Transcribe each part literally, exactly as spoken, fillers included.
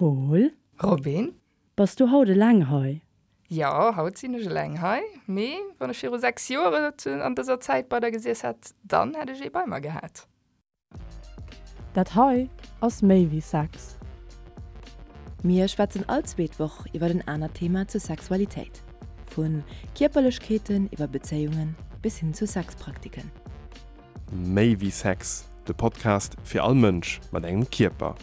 Pol? Robin? Bass du haut eleng hei? Jo, haut sinn ech eleng hei. Mee wann ech viru sechs Joer an dëser Zäit bei der gesiess hätt, dann hätt ech ee bei mer gehat. Dat hei ass méi wéi Sex. Mir schwätzen all zweet Woch iwwer en anert Thema zur Sexualitéit. Vu Kierperlechkeeten iwwer Bezéiungen bis hin zu Sexpraktiken. Méi wéi Sex, de Podcast fir all Mënsch mat engem Kierper.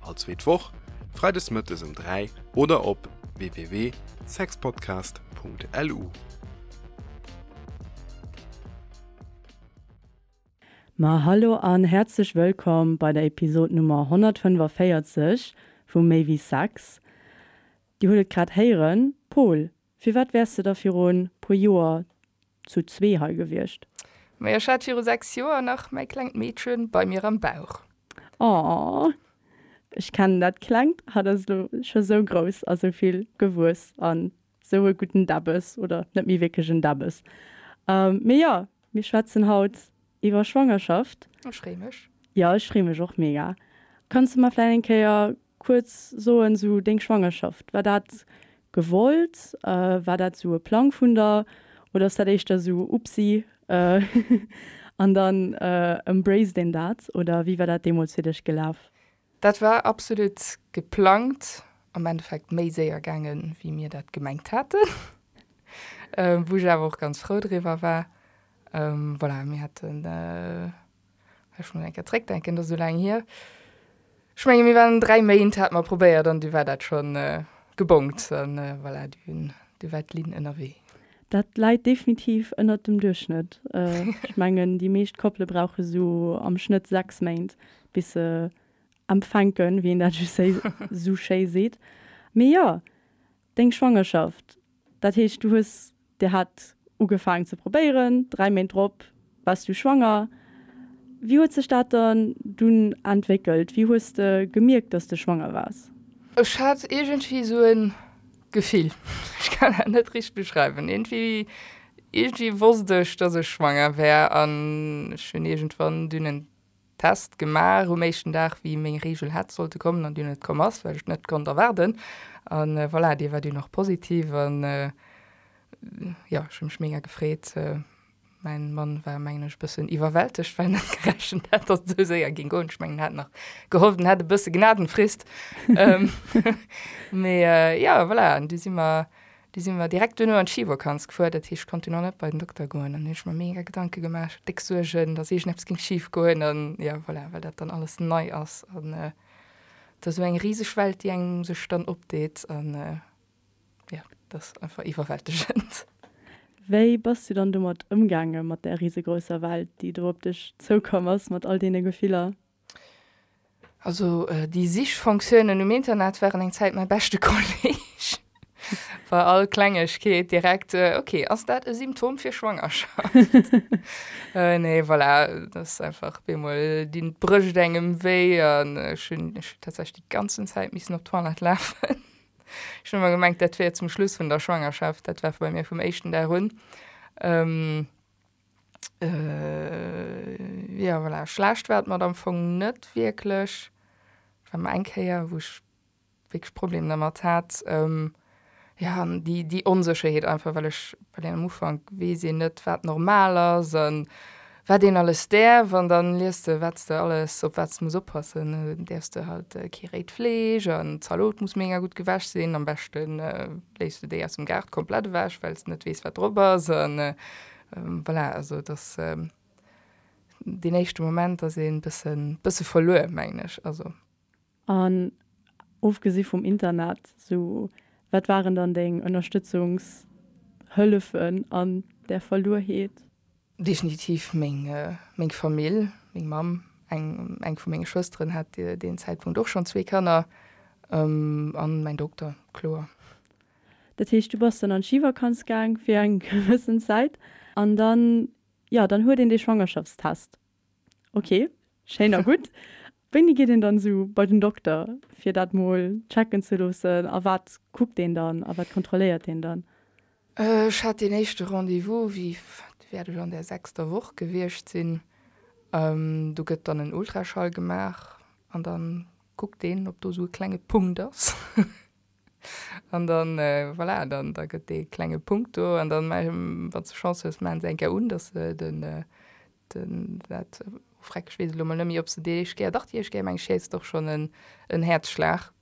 All zweet Woch, freides mëttes um dräi oder op www.sexpodcast.lu. Ma hallo an häerzlech wëllkomm bei der Episod Nummer honnertfënnefaféierzeg vu Méi wéi Sex. Dir hutt et grad héieren, Pol, firwat wäers de da virun puer Joer zu zwee hei gewiescht? Majo, ech hat viru sechs Joer nach mäi klengt Meedchen bei mir am Bauch. Aww, ech kennen dat klengt, hatt ass elo scho sou grouss a sou vill gewuess an sou e gudden Däbbes, oder net méi wierklech en Däbbes. Mee jo, mir schwätzen haut iwwer Schwangerschaft. Ech free mech. Jo, ech free mech och mega. Kanns de mer vläicht eng Kéier kuerz soen, sou deng Schwangerschaft, war dat gewollt? War dat sou e Plang vun der oder ass dat éischter sou upsi an dann embraced een dat? Oder wéi war dat deemools fir dech gelaf? Dat war absolut geplangt, am Endeffekt méi séier gaangen, wéi mir dat gemengt haten, wou ech awer och ganz frou driwwer war. Voilà, mir haten, ech muss eng Kéier zréckdenken, dat ass esou laang hier, ech menge mir waren dräi Méint, hate mer probéiert an du war dat schonn gebongt an voilà, du war d'Lynn ënnerwee. Dat läit definitiv ënnert dem Duerchschnëtt. Ech mengen, déi meescht Koppele brauche sou am Schnëtt sechs Méint, bis se empfänken, wéi een dat sou schéi seet. Mee jo, deng Schwangerschaft, dat heescht, du hues, dir hat ugefaangen ze probéieren, dräi Méint drop waars du schwanger. Wéi huet sech dat dann dunn entwéckelt? Wéi hues de gemierkt, dass de schwanger waars? Ech hat iergendwéi esou e Gefill, ech kann dat net richteg beschreiwen. Iergendwéi, iergendwéi wosst ech, dass ech schwanger wär an ech hunn iergendwann dunn en Test gemaach um éischten Dag, wéi meng Reegel hätt sollte kommen an dunn net komm ass, well ech net konnt erwaarden. An voilà, déi war dunn och positiv an jo, ech hu mech mega gefreet. Mäin Mann war, mengen ech, e bëssen iwwerwältegt, well en net gerechent hat, datt et esou séier géing goen. Ech mengen, en hat nach gehofft, en hätt e bësse Gnadenfrist. Mee jo, voilà, an du si mer, du si mer direkt duerno an d'Schivakanz gefuer. Dat heescht, ech konnt dunn och net bei den Dokter goen. An hunn ech mer mega Gedanke gemaach, déck Suergen, datt iergendeppes géing schif goen. An jo, voilà, well dat dann alles nei ass. An et ass esou eng riseg Welt, déi engem sech dann opdeet. An jo, dat ass einfach iwwerwältegend. Wéi bass du dann domat ëmgaange mat där risegrousser Welt, déi do op dech zoukomm ass, mat all deene Gefiller? Also déi Sichfonctiounen um Internet waren eng Zäit mäi beschte Kolleg. Bei all Klengegkeet direkt, ok, ass dat e Symptom fir Schwangerschaft? Nee, voilà, dat ass einfach op eemol dinn d'Brëscht engem wéi an ech hunn ech hunn tatsächlech déi ganzen Zäit missen op d'Toilette lafen. Ech hunn ëmmer gemengt, dat wier zum Schluss vun der Schwangerschaft. Dat war bei mir vum éischten Dag un. Ähm, äh, ja, voilà. Schlecht war et mer am Fong net wierklech. War mer eng Kéier, wou ech wierklech Problemer dermat hat. Ähm, ja, an déi, déi Onsécherheet einfach, well ech, well een am Ufank weess een net, wat normal ass an Wat een alles däerf an dann liest de wat s de alles, op wat s de muss oppassen. Däerfs de halt kee réit Fleesch an d'Zalot muss mega gutt gewäsch sinn. Am beschte léiss de déi aus dem Gaart komplett ewech, well s de net weess wat drop ass an voilà. Also et ass deen éischte Moment ass een bëssen bësse verluer mengen ech. Also. An ofgesi vum Internat, sou wat waren dann deng Ënnerstëtzungshëllefen an där Verluerheet? Definitiv meng meng Famill, meng Mamm, eng eng vu menge Schwësteren hat deen Zäitpunkt och schonn zwee Kanner, an mäin Dokter, kloer. Dat heescht, du bass dann an d'Schivakanz gaang fir eng gewëssen Zäit an dann, jo, dann huet een dee Schwangerschaftstest. Ok, schéin a gutt. Wéini geet een dann esou bei den Dokter, fir dat mol checken ze loossen a wat kuckt deen dann a wat kontrolléiert deen dann? Ech hat deen éischte Rendez-vous, wéi wäert ech an der sechster Woch gewiescht sinn. Do gëtt dann en Ultraschall gemaach an da kuckt deen, ob do esou e klenge Punkt ass. An dann, voilà, dann da gëtt dee klenge Punkt do an dann, wann s de Chance hues, maachen se eng Kéier un, dass se den, den, dat, oh freck, ech weess elo mol net méi, ob se déi éischt Kéier, dach déi éischt Kéier, meng ech, héiers de och schonn en, en Häerzschlag.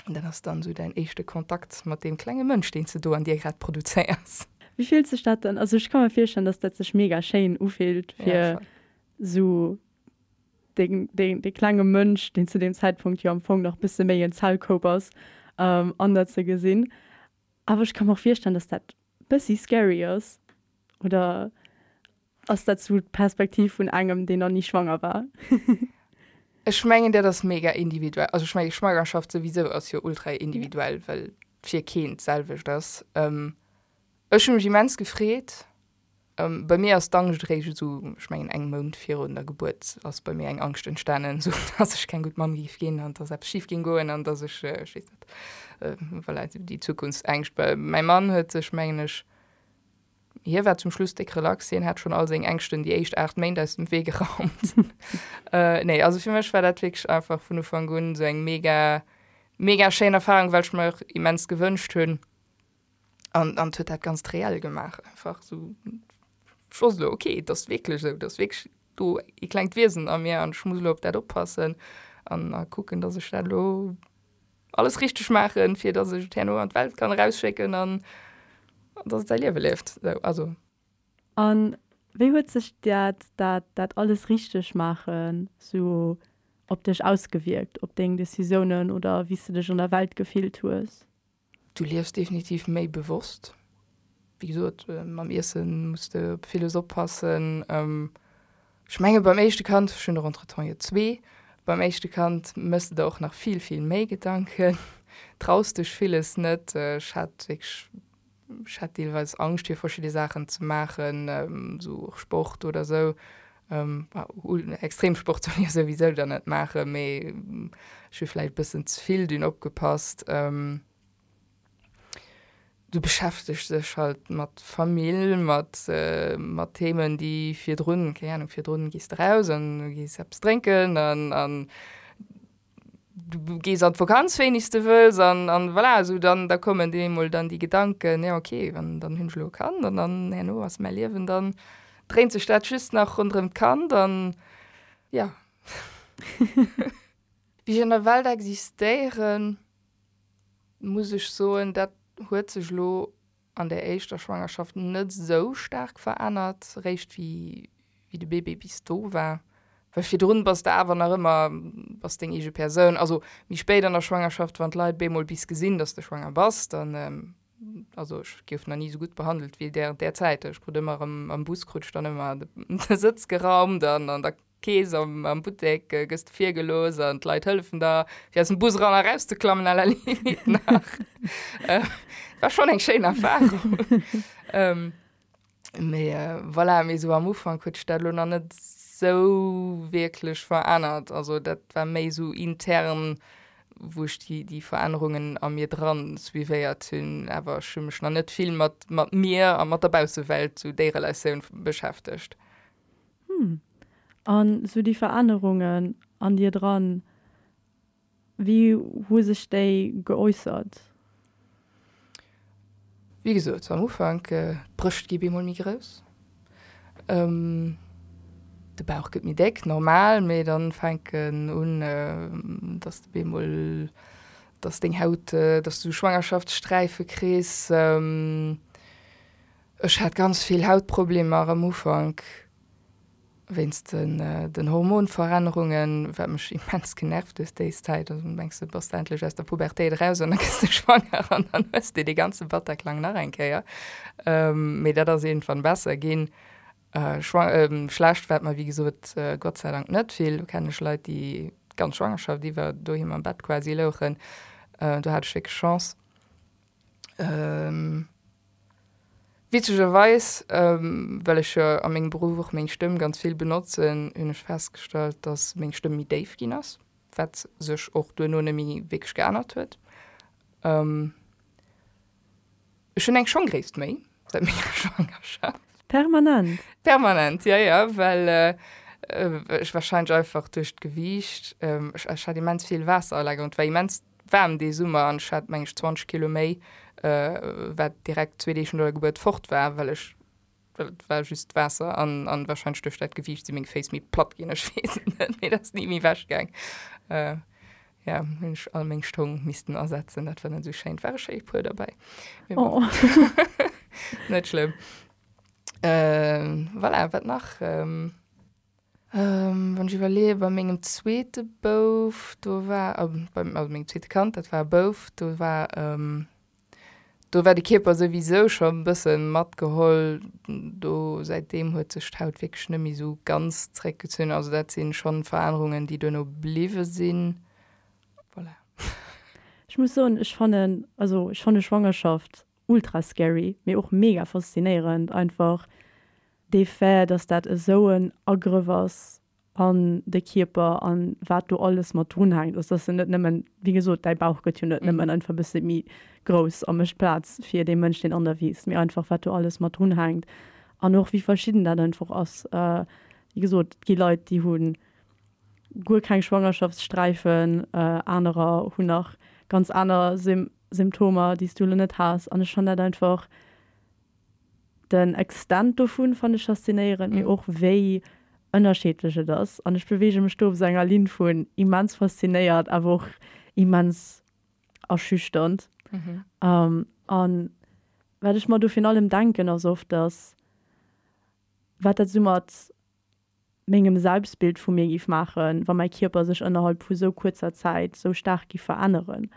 An dat ass dann esou däin éischte Kontakt mat deem klenge Mënsch, deen s de do an dir grad produzéiers. Wéi fillt sech dat dann, also ech ka mer virstellen, dass dat sech mega schéin ufillt, fir esou deng, deng, dee klenge Mënsch, deen zu deem Zäitpunkt jo am Fong nach bësse méi en Zellkoup ass, an der ze gesinn. Awer ech ka mer och virstellen, dass dat bëssi scary ass. Oder ass dat sou d'Perspektiv vun engem, deen nach ni schwanger war? Ech mengen, dat ass mega individuell. Also ech menge Schwangerschaft souwisou ass jo ultra individuell, well fir keen d'selwecht ass. Ech hu mech immens gefreet. Bei mir ass d'Angscht eréischt esou, ech mengen eng Mount virun der Gebuert ass bei mir eng Angscht entstanen, esou dass ech keng gutt Mamm géif ginn an dass eppes schif géing goen an dass ech, ech weess net, voilà, esou déi Zukunftsängscht. Mäi Mann huet sech, mengen ech, hie war zum Schluss déck relax, hien hat schonn all seng Ängschten déi éischt aacht Méint aus dem Wee geraumt. Nee, also fir mech war dat wierklech einfach vun Ufank un esou eng mega, mega schéin Erfarung, well ech mer och immens gewënscht hunn. An, an et huet dat Ganzt reell gemaach einfach esou. Ech wosst elo, okay, et ass wierklech esou, et ass wierklech do ee klengt Wiesen a mir an ech muss elo op dat oppassen an a kucken, dass ech dat elo alles richteg maachen, fir dass ech et herno an d'Welt kann erausschécken an dass et säi Liewe lieft. Esou, also. A wéi huet sech dat, dat, dat alles richteg maachen esou op dech ausgewierkt, op deng Decisiounen oder wéi s de dech an der Welt gefillt hues? Du liefs definitiv méi bewosst. Wéi gesot, mam Iesse muss de op villes oppassen. Ech menge beim éischte Kand, ech hunn der entretemps jo zwee, beim éischte Kand méchs de der och nach vill, vill méi Gedanken, traus dech villes net. Ech hat wierklech, ech hat deelweis Angscht fir verschidde Saachen ze maachen, esou och Sport oder esou. Extremsport soll ee jo souwisou dann net maachen, mee ech hu vläicht e bëssen ze vill dunn opgepasst. Du beschäftegs dech halt mat Famill, mat mat Themen, déi virdrun, keng Ahnung, virdrun gees de raus an gees eppes drénken an an du gees an d'Vakanz wéini s de wëlls an an voilà, esou dann da kommen dir emol dann déi Gedanken, jo okay, an dann hunn ech elo e Kand an dann herno ass mäi Liewen dann dréint sech dat just nach ronderëm d'Kand an jo. Wéi ech an der Welt existéieren, muss ech soen, dat huet sech elo an der éischter Schwangerschaft net esou staark verännert, réischt wéi wéi de Bébé bis do war. Well virdrun bass de awer nach ëmmer, bass deng eege Persoun. Also méi spéit an der Schwangerschaft, wann d'Leit bemol bis gesinn, dass de schwanger bass, dann, also ech gouf nach ni esou gutt behandelt wéi während där Zäit. Ech krut ëmmer erëm am Bus krut ech dann ëmmer de Sëtz geraumt an an der Kees am, am Buttek gëss de virgelooss an d'Leit hëllefen der, fir aus dem Bus eran a raus ze klammen, à la limite nach. Äh, war schon eng schéin Erfahrung. ähm, mee äh, voilà, mee sou am Ufank huet sech dat elo nach net sou wierklech verännert. Also dat war méi sou intern, wou ech déi, déi Verännerungen a mir dran suivéiert hunn. Awer ech hu mech nach net vill mat, mat mir a mat der Baussewelt, sou déi Relatioun beschäftegt. Hm. An sou déi Verännerungen an dir dran, wéi hu sech déi geäussert? Wéi gesot, am Ufank, d'Brëscht gi bemol méi grouss, de Bauch gëtt méi déck, normal, mee dann fänken un, dass de bemol, dass deng Haut, dass du Schwangerschaftssträife kriss. Ech hat ganz vill Hautproblemer am Ufank. Wéinst den Hormonverännerungen, wat mech immens genervt huet déi Zäit. Also mengs de bass de endlech aus der Pubertéit eraus an da gëss de schwanger an dann hues de dee ganze Bataclan nach eng Kéier. Mee dat ass iergendwann besser ginn. Schlecht war et mer wéi gesot Gott sei Dank net vill. Do kennen ech Leit, déi d'ganz Schwangerschaft iwwer doheem am Bett quasi louchen. Do hat ech wierklech Chance. Witzegerweis, well ech jo a mengem Beruff och meng Stëmm ganz vill benotzen, hunn ech festgestallt, dass meng Stëmm méi déif ginn ass, wat sech och duerno net méi wierklech geännert huet. Ech hunn eng Schonggréisst méi säit menger Schwangerschaft. Permanent? Permanent, jo, jo, well Ech warscheinlech einfach duerch d'Gewiicht. Ech ech hat immens vill Waasseralagerung. Et war immens waarm dee Summer an ech hat meng ech zwanzeg Kilo méi, wat direkt zwee Deeg no der Gebuert fort war, well ech well et war just Waasser an an warscheinlech duerch dat Gewiicht si meng Féiss méi platt ginn, ech weess et net, mee dat ass ni méi ewech gaang. Jo, hunn ech all meng Schong missten ersetzen, dat war net esou schéin. Et ware schéi puer derbäi, mee bon, net schlëmm. Voilà, wat nach? Wann ech iwwerleeë bei mengem zweete Bouf, do war, beim, also mengem zweete Kand, dat war e Bouf, do war, do war de Kierper souwisou scho e bësse matgeholl. Do säitdeem huet sech d'Haut wierklech net méi esou ganz zréckgezunn. Also dat si schonn Verännerungen, déi duerno bliwwe sinn. Voilà. Ech muss soen, ech fannen, also ech fanne Schwangerschaft ultra scary, mee och mega faszinéierend einfach. Dee Fait, dass dat esou en Agrëff ass an de Kierper an wat do alles mat drun hänkt, also dass se net nëmmen, wéi gesot, däi Bauch gëtt jo net nëmmen einfach e bësse méi grouss a mécht Plaz fir dee Mënsch, deen an der wiisst, mee einfach wat do alles mat drun hänkt an och wéi verschidden dat einfach ass. Wéi gesot, et gi Leit, déi hu guer keng Schwangerschaftssträifen, anerer hunn nach ganz aner Symptomer, déi s du elo net has an ech fannen dat einfach, Den Extent dovun fannen ech faszinéierend, mee och wéi ënnerscheedlech et ass. An ech beweege mech do op esou enger Linn vun immens faszinéiert, awer och immens erschüchternd. An wat ech mer do virun allem denken, ass oft, dass wat dat esou mat mengem Selbstbild vu mir giff maachen, wa mäi Kierper sech ënnerhalb vu sou kuerzer Zäit sou staark giff veränneren.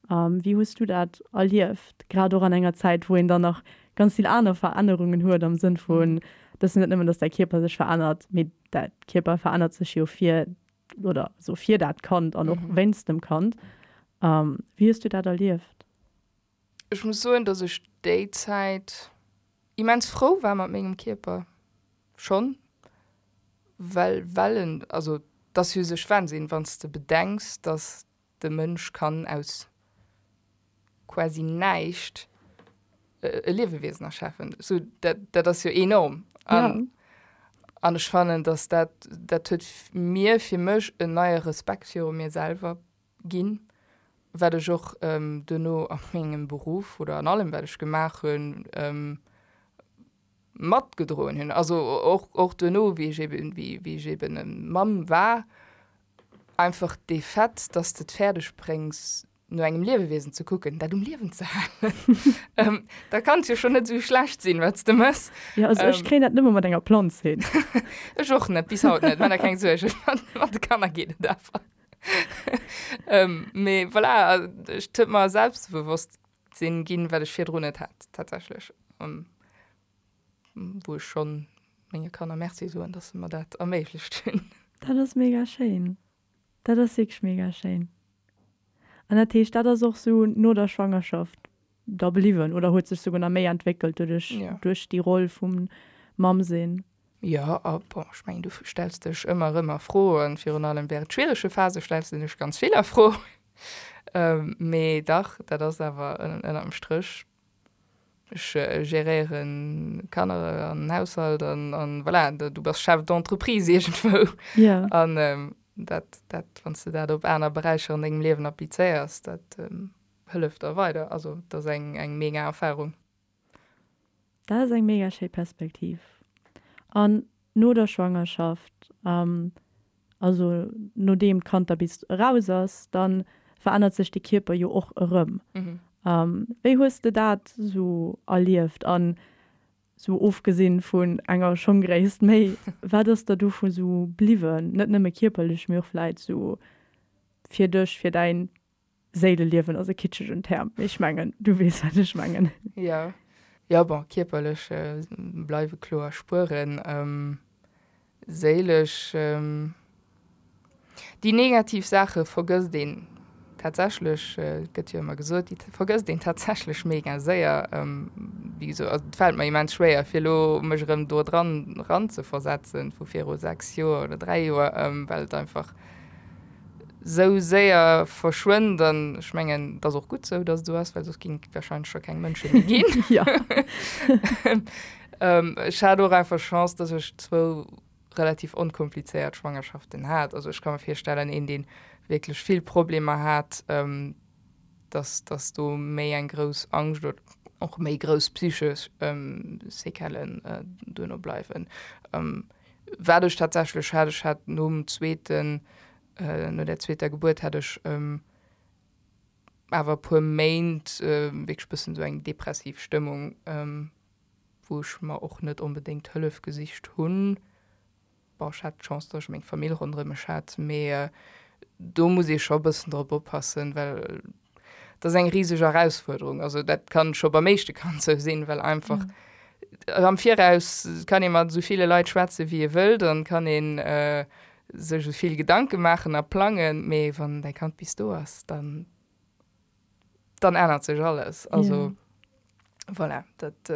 Wéi hues du dat erlieft, grad och an enger Zäit, wou een dann nach ganz vill aner Verännerungen huet, am Sënn vun, dass net nëmmen, dass däi Kierper sech verännert, mee däi Kierper verännert sech jo fir oder sou fir dat Kand an och wéinst dem Kand. Wéi hues du dat erlieft? Ech muss soen, dass ech déi Zäit immens frou war mat mengem Kierper schonn, well well en, also et ass jo u sech Wahnsinn, wann s de bedenks, dass de Mënsch kann aus quasi näischt e Liewewiesen erschafen. Sou, dat, dat ass jo enorm. An, an ech fannen, dass dat, dat huet mir fir mech en neie Respekt viru mir selwer ginn, wat ech och duerno a mengem Beruff oder an allem, wat ech gemaach hunn, matgedroen hunn. Also och, och duerno, wéi ech eben, wéi, wéi ech eben Mamm war, einfach dee Fait, dass de et fäerdeg bréngs, no engem Liewewiesen ze kucken, dat um Liewen ze halen, da kann et jo schonn net esou schlecht sinn, wat s de méchs. Jo, also ech kréien dat nëmme mat enger Planz hin. Ech och net, bis haut net, maach der keng Suergen, mat de Kanner geet et awer. Mee voilà, et huet mer e Selbstbewosstsinn ginn, wat ech virdrun net hat tatsächlech, wou ech schonn menge Kanner Merci soen, dass se mer dat erméiglecht hunn. Dat ass mega schéin. Dat ass wierklech mega schéin. An dat heescht, dat ass och sou no der Schwangerschaft da bliwwen oder huet sech souguer nach méi entwéckelt doduerch, duerch déi Roll vum Mamm-sinn? Jo, a bon, ech mengen, du stells dech ëmmer erëm a Fro an virun allem während schwierege Phase stells de dech ganz vill a Fro. Mee dach, dat ass awer ënner dem Stréch Ech geréieren Kanner an Haushalt an, an voilà, du bass Chef d'entreprise iergendwou. Ja. An dat, dat, wann s de dat op aner Beräicher an dengem Liewen applizéiers, dat hëlleft der weider. Also et ass eng, eng mega Erfarung. Dat ass eng mega schéi Perspektiv. An no der Schwangerschaft, Also nodeem d'Kand da bis eraus ass, da verännert sech de Kierper jo och erëm. Wéi hues de dat sou erlieft? An sou ofgesinn vun enger Schonggréisst méi, wat ass der dovu sou bliwwen? Net nëmme kierperlech, mee och vläit sou fir dech, fir däin Séileliewen ass e kitschegen Term, mee ech mengen, du weess, wat ech mengen. Jo, jo, bon, kierperlech bleiwe kloer Spueren. Séilesch, déi negativ Saache vergësst een tatsächlech, et gëtt jo ëmmer gesot, déi vergësst een tatsächlech mega séier. Wéi gesot, also et fält mer immens schwéier fir elo mech erëm do dran eranzeversetzen vu viru sechs Joer oder dräi Joer, well et einfach sou séier verschwënnt an ech mengen, et ass och gutt sou, datt et esou ass, well soss géing et warscheinlech scho keng Mënsche méi ginn. Jo. Ech hat och einfach Chance, datt ech zwou relativ onkomplizéiert Schwangerschaften hat. Also ech ka mer virstellen, een deen wierklech vill Problemer hat, dass dass do méi eng grouss Angscht oder och méi grouss psychesch Séquellen duerno bleiwen. Wat ech tatsächlech hat, ech hat nom zweeten, no der zweeter Gebuert hat ech awer e puer Méint wierklech bëssen esou eng depressiv Stëmmung, wou ech mer och net onbedéngt Hëllef gesicht hunn. Bon, ech hat d'Chance, datt ech meng Famill ronderëm mech hat, mee do muss ee scho e bëssen drop oppassen, well dat ass eng riseg Erausfuerderung. Also dat kann scho beim éischte Kand sou sinn, well einfach am Viraus kann ee mat esou ville Leit schwätze wéi ee wëllt an kann ee sech esou vill Gedanke maachen a plangen, mee wann däi Kand bis do ass, dann dann ännert sech alles. Also voilà, dat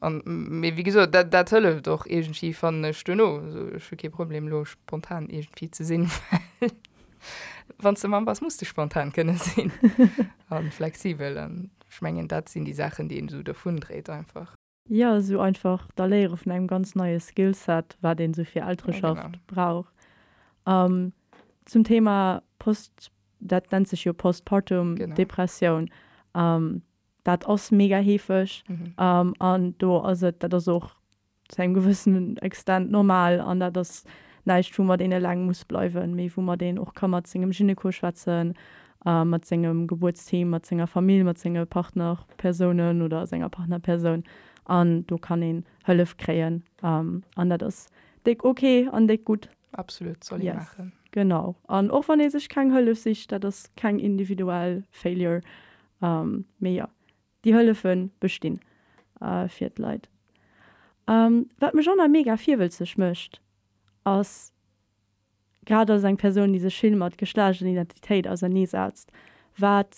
an mee wéi gesot, dat dat hëlleft och iergendwéi fannen ech duerno. Also ech hu kee Problem elo spontan iergendwéi ze sinn, well wann s de Mamm bass, muss de spontan kënne sinn a flexibel an ech mengen dat sinn déi Saachen, déi een esou dervun dréit einfach. Jo, esou einfach d'Erléiere vun engem ganz neie Skillset, wat een esou fir Eltereschaft brauch. Zum Thema Post, dat nennt sech jo Postpartum Depressioun, dat ass mega heefeg an do ass et, dat ass och zu engem gewëssenen Extent normal an dat ass näischt, woumat een eleng muss bleiwen, mee woumat een och ka mat sengem Gyneko schwätzen, mat sengem Gebuertsteam, mat senger Famill, mat senge Partnerpersounen oder senger Partnerpersoun an do kann een Hëllef kréien an dat ass déck ok an déck gutt. Absolut, soll ee maachen. Genau. An och wann ee sech keng Hëllef sicht, dat ass keng individuell Failure, mee jo, déi Hëllefe bestinn fir d'Leit. Wat mech och nach mega virwëlzeg mécht, ass, grad als eng Persoun, déi sech vill mat Geschlechtsidentitéit auserneesetzt, wat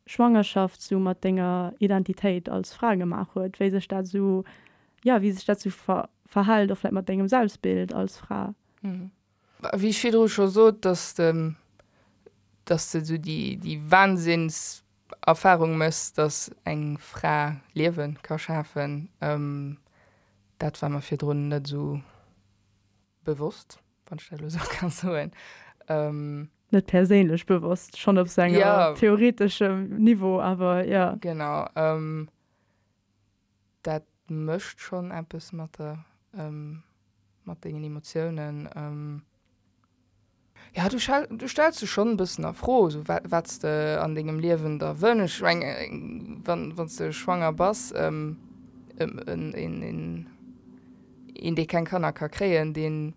Schwangerschaft sou mat denger Identitéit als Fra gemaach huet, wéi sech dat sou, jo, wéi sech dat sou verhält, och vläicht mat dengem Selbstbild als Fra. Wéi ech virdru scho sot, dass de, dass de sou déi, déi Wahnsinnserfahrung méchs, dass eng Fra Liewe ka schafen, dat war mer virdrun net esou bewosst, wann ech dat elo esou ka soen. Net perséinlech bewosst, schonn op sou engem theoreteschem Niveau, awer jo. Genau. Dat mécht schonn eppes mat der, mat dengen Emotiounen. Jo, du du stells dech schonn e bëssen a Fro, esou wat wat s de an dengem Liewen der wënsch. Ech meng, wann wann s de schwanger bass, en een een een dee keng Kanner ka kréien, dee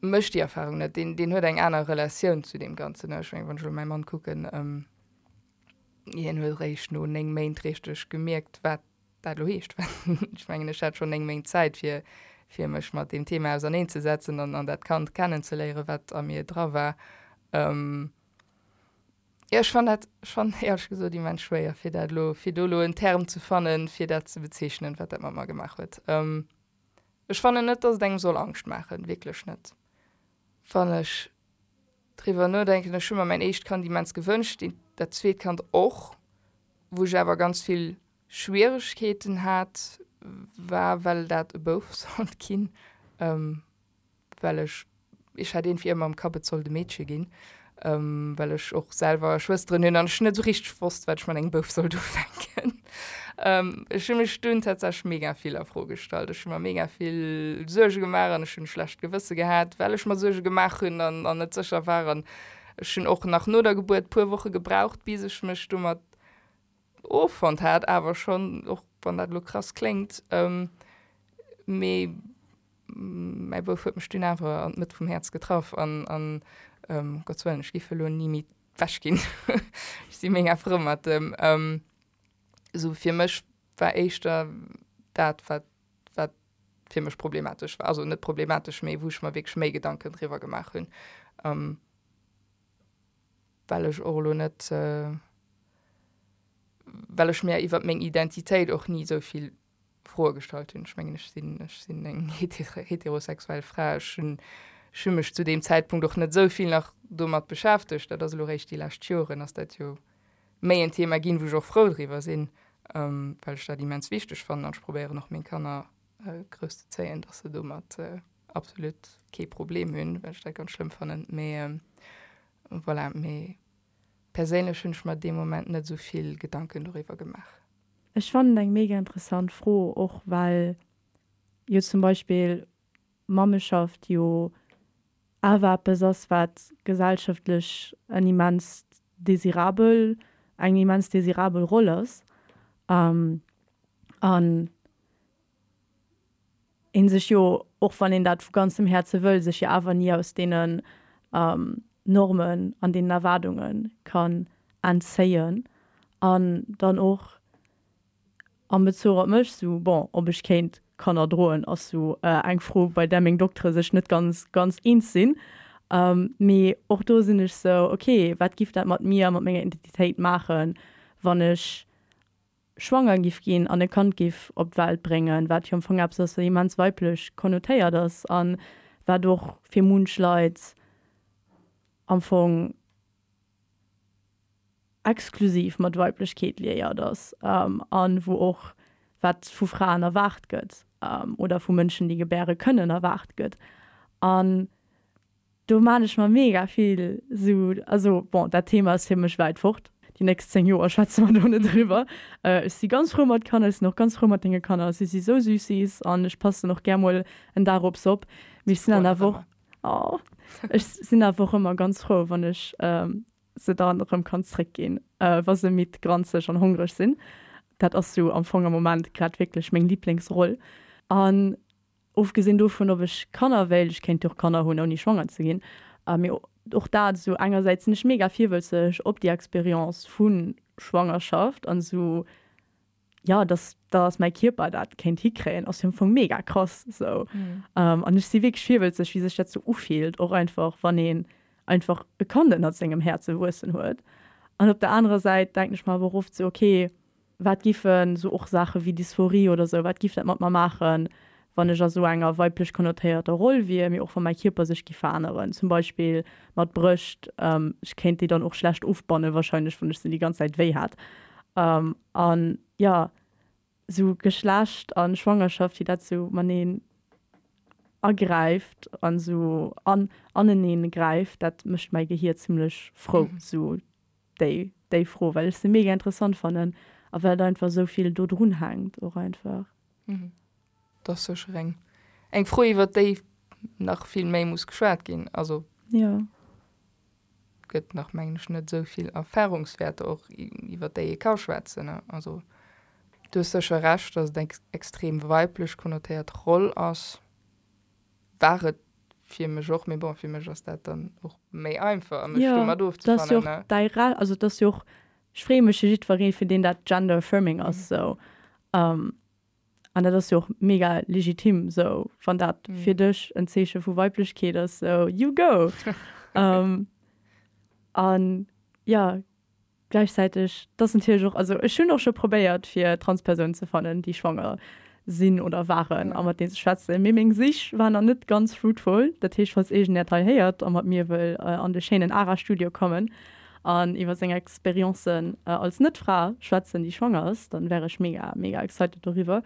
mécht déi Erfarung net, deen deen huet eng aner Relatioun zu deem Ganzen. Ech meng, wann ech elo mäi Mann kucken, hien huet eréischt no néng Méint richteg gemierkt, wat dat elo heescht. Ech mengen, ech hat schonn néng Méint Zäit, fir, fir mech mat deem Thema auserneenzesetzen an, an dat Kand kennenzeléieren, wat a mir dra war. Jo, ech fannen dat schonn éierlech gesot immens schwéier, fir dat elo, fir do elo en Term ze fannen, fir dat ze bezeechnen, wat dat mat mer gemaach huet. Ech fannen net, dass et engem soll Angscht maachen, wierklech net. Wann ech driwwer nodenken, ech hu mer mäin éischt Kand immens gewënscht, dat zweet Kand och, wou ech awer ganz vill Schwieregkeeten hat, war well dat e Bouf sollt ginn, well ech, ech hat iergendwéi ëmmer am Kapp, et sollt e Meedche ginn, well ech och selwer Schwësteren hunn an ech net esou richteg wosst, wat ech mat engem Bouf sollt ufänken. Ech hu mech dunn tatsächlech mega vill a Fro gestallt. Ech hu mer mega vill Suerge gemaach an ech hunn e schlecht Gewësse gehat, well ech mer Suerge gemaach hunn an net sécher war. An ech hunn och nach no der Gebuert puer Woche gebraucht, bis ech mech domat offonnt hat, awer schonn, och wann dat elo krass kléngt, mee mäi Bouf huet mech dunn awer an d'Mëtt vum Häerz getraff an, an ëm Gottes Wëllen, ech giff elo ni méi wech ginn. Ech si mega frou mat em. Esou fir mech war éischter dat, wat, wat fir mech problematesch war, also net problematesch, mee wou ech mer wierklech méi Gedanken driwwer gemaach hunn, well ech och elo net, well ech mir iwwer meng Identitéit och ni esou vill Froe gestallt hunn. Ech mengen, ech sinn, ech sinn eng heterosexuell Fra. Ech hunn, ech hu mech zu deem Zäitpunkt och net esou vill nach domat beschäftegt. Dat ass elo eréischt déi lescht Joren ass dat jo méi en Thema ginn, wou ech och frou driwwer sinn, well ech dat immens wichteg fannen an ech probéieren och meng Kanner grousszezéien, dass se domat absolut kee Problem hunn, well ech dat ganz schlëmm fannen. Mee voilà, mee perséinlech hunn ech mer dee Moment net esou vill Gedanken doriwwer gemaach. Ech fannen et eng mega interessant Fro, och well jo zum Beispill Mammeschaft jo awer eppes ass, wat gesellschaftlech en immens desirabel, eng immens desirabel Roll ass an ee sech jo, och wann een dat vu ganzem Häerze wëll, sech jo awer ni aus deenen Normen an deenen Erwaardunge kann entzéien an dann och am Bezuch op mech sou, bon, ob ech kéint Kanner droen ass sou eng Fro, bei där meng Doktere sech net ganz, ganz eens sinn. Mee och do sinn ech sou, ok, wat giff dat mat mir a mat menger Identitéit maachen, wann ech schwanger giff ginn an e Kand giff op d'Welt bréngen, wat jo am Fong eppes ass, wat immens weiblech konnotéiert ass a wat och fir munch Leit am Fong exklusiv mat Weiblechkeet liéiert ass an wou och wat vu Fraen erwaart gëtt oder vu Mënschen, déi gebäre kënnen, erwaart gëtt. An do maan ech mer mega vill sou, also bon, dat Thema ass fir mech wäit fort, déi nächst zéng Joer schwätze mer do net driwwer. Ech si ganz frou mat Kanner, ech sinn och ganz frou mat denge Kanner, si si sou süssies an ech passen och gär mol en Dag op se op, mee ech sinn dann awer och, oh, ech sinn awer och ëmmer ganz frou, wann ech se dann erëm kann zréckginn, wa se midd, granzeg an hongreg sinn. Dat ass sou am Fong am Moment grad wierklech meng Liblingsroll. An ofgesinn dovun, ob ech Kanner wéilt, ech kéint jo och Kanner hunn ouni schwanger ze ginn, mee och dat esou, engersäits sinn ech mega virwëlzeg op déi Experience vu Schwangerschaft an esou, jo, dass dass mäi Kierper dat kéint hikréien, ass jo am Fong mega krass esou. An ech si wierklech virwëlzeg, wéi sech dat sou ufillt, och einfach wann een einfach e Kand ënnert sengem Häerze wuessen huet. An op der anerer Säit denken ech mer awer och oft sou, okay, wat giffen sou och Saache wéi Dysphorie oder sou, wat giff dat mat mer maachen, wann ech a sou enger weiblech konnotéierter Roll wier, mee och wa mäi Kierper sech giff veränneren, zum Beispill mat Brëscht, ech kéint déi dann och schlecht ofbanne wahrscheinlech, wann ech se déi ganz Zäit wéi hätt. An jo, sou Geschlecht a Schwangerschaft, wéi dat sou mateneen agräift an sou an aneneen gräift, dat mécht mäi Gehier zimlech frou, sou déi déi Fro, well ech se mega interessant fannen a well et einfach sou vill do drun hänkt och einfach. Dat ass sécher eng eng Fro, iwwer déi nach vill méi muss geschwat ginn. Also Jo. gëtt nach, mengen ech, net esou vill Erfahrungswäerter och, iwwer déi ee ka schwätzen. Also du hues sécher Recht, datt et eng extrem weiblech konnotéiert Roll ass. War et fir mech och, mee bon, fir mech ass dat dann och méi einfach, mech Jo, domat dat ass jo ofzefannen, och ne? däi Re-, also dat ass jo och, ech freeë mech fir jiddweree, fir deen dat gender affirming ass, sou. An dat ass jo och mega legitim, sou, wann dat fir dech en Zeeche vu Weiblechkeet ass, sou, you go! An jo, gläichzäiteg, dat ass natierlech och, also ech hunn och scho probéiert, fir Transpersounen ze fannen, déi schwanger sinn oder waren a mat deenen ze schwätzen, mee meng Sich war nach net ganz fruitful. Dat heescht, falls iergend dat hei héiert a mat mir wëll an de schéinen ARA-Studio kommen an iwwer seng Experiencen als Net-Fra schwätzen, déi schwanger ass, dann wär ech mega, mega excited doriwwer.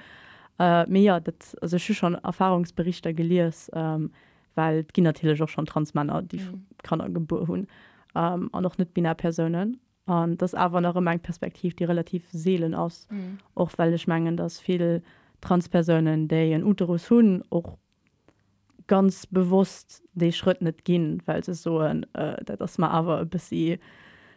Mee jo, dat, also ech hu schonn Erfahrungsberichter gelies, well et ginn natierlech och schonn Transmänner, déi Kanner gebuer hunn an och net-binär Persounen. An et ass awer nach ëmmer eng Perspektiv, déi relativ seelen ass, och well ech mengen, datt vill Transpersounen, déi en Uterus hunn, och ganz bewosst dee Schrëtt net ginn, well se soen, dat ass mer awer e bëssi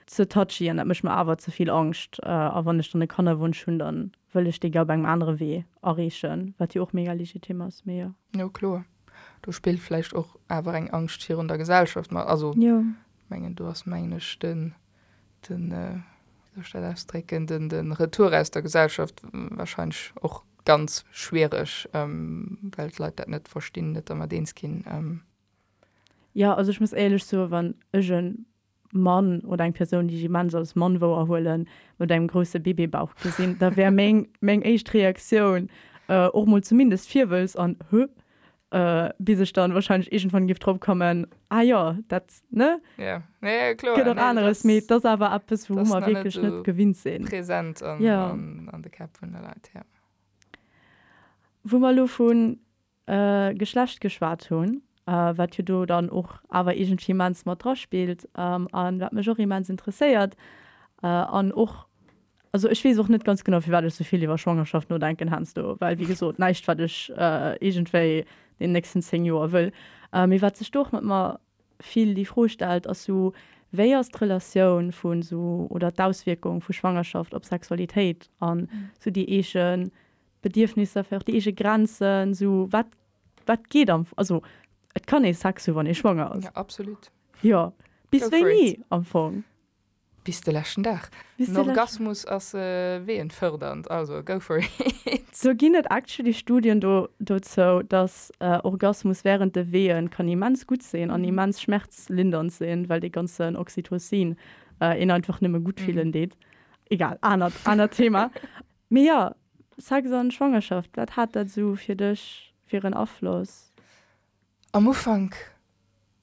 ze touchy an dat mécht mer awer ze vill Angscht a wann ech dann e Kannerwonsch hunn, da wëll ech dee gär op engem anere Wee erreechen, wat jo och mega legitim ass, mee jo. Jo kloer, do spillt vläicht och awer eng Angscht virun der Gesellschaft mat. Also Jo. mengen do ass mengen ech den, den, wéi soll ech dat ausdrécken, den, den Retour aus der Gesellschaft wahrscheinlech och ganz schwiereg, well d'Leit dat net verstinn, net dermat eens ginn. Jo, also ech muss éierlech soen, wann ech e Mann oder eng Persoun, déi ech immens als Mann wouerhuelen, mat engem grousse Bébébauch gesinn, da wär meng, meng éischt Reaktioun och mol zumindest Virwëlz an Hö? Bis ech dann wahrscheinlech iergendwann géif drop kommen, ah jo, dat, ne? Ja, ja, ja, kloer. Gëtt och Nee, dat aneres, mee et ass awer eppes, dat wou ass mer nach net wierklech net esou gewinnt sinn. präsent an, Ja. an, an de Käpp vun de Leit, ja. Wou mer elo vu Geschlecht geschwat hunn, wat jo do dann och awer iergendwéi immens mat draspillt an wat mech och immens interesséiert an och, also ech weess och net ganz genau firwat ech sou vill iwwer Schwangerschaft nodenken heiansdo, well wéi gesot näischt wat ech iergendwéi den nächsten zéng Joer wëll, mee wat sech do och mat mer vill déi Fro stellt ass sou, wéi ass d'Relatioun vu sou oder d'Auswierkung vu Schwangerschaft op Sexualitéit an sou déi eege Bedierfnisser, vläicht och déi eege Grenzen, sou wat wat geet am, also et kann ee Sex hu wann ee schwanger ass. Ja, absolut. Jo, bis Go for wéini it. am Fong? Bis de leschten Dag. Bis En de leschten. Orgasmus ass weeënfërdernd, also go for it. Do ginn et actually Studien do dozou, dass Orgasmus während de Weeën kann immens gutt sinn an immens schmerzlindernd sinn, well dee ganzen Oxytocin een einfach nëmme gutt fillen deet. Egal, anert anert Thema. Mee jo, Sex an Schwangerschaft, wat hat dat esou fir dech fir en Afloss? Am Ufank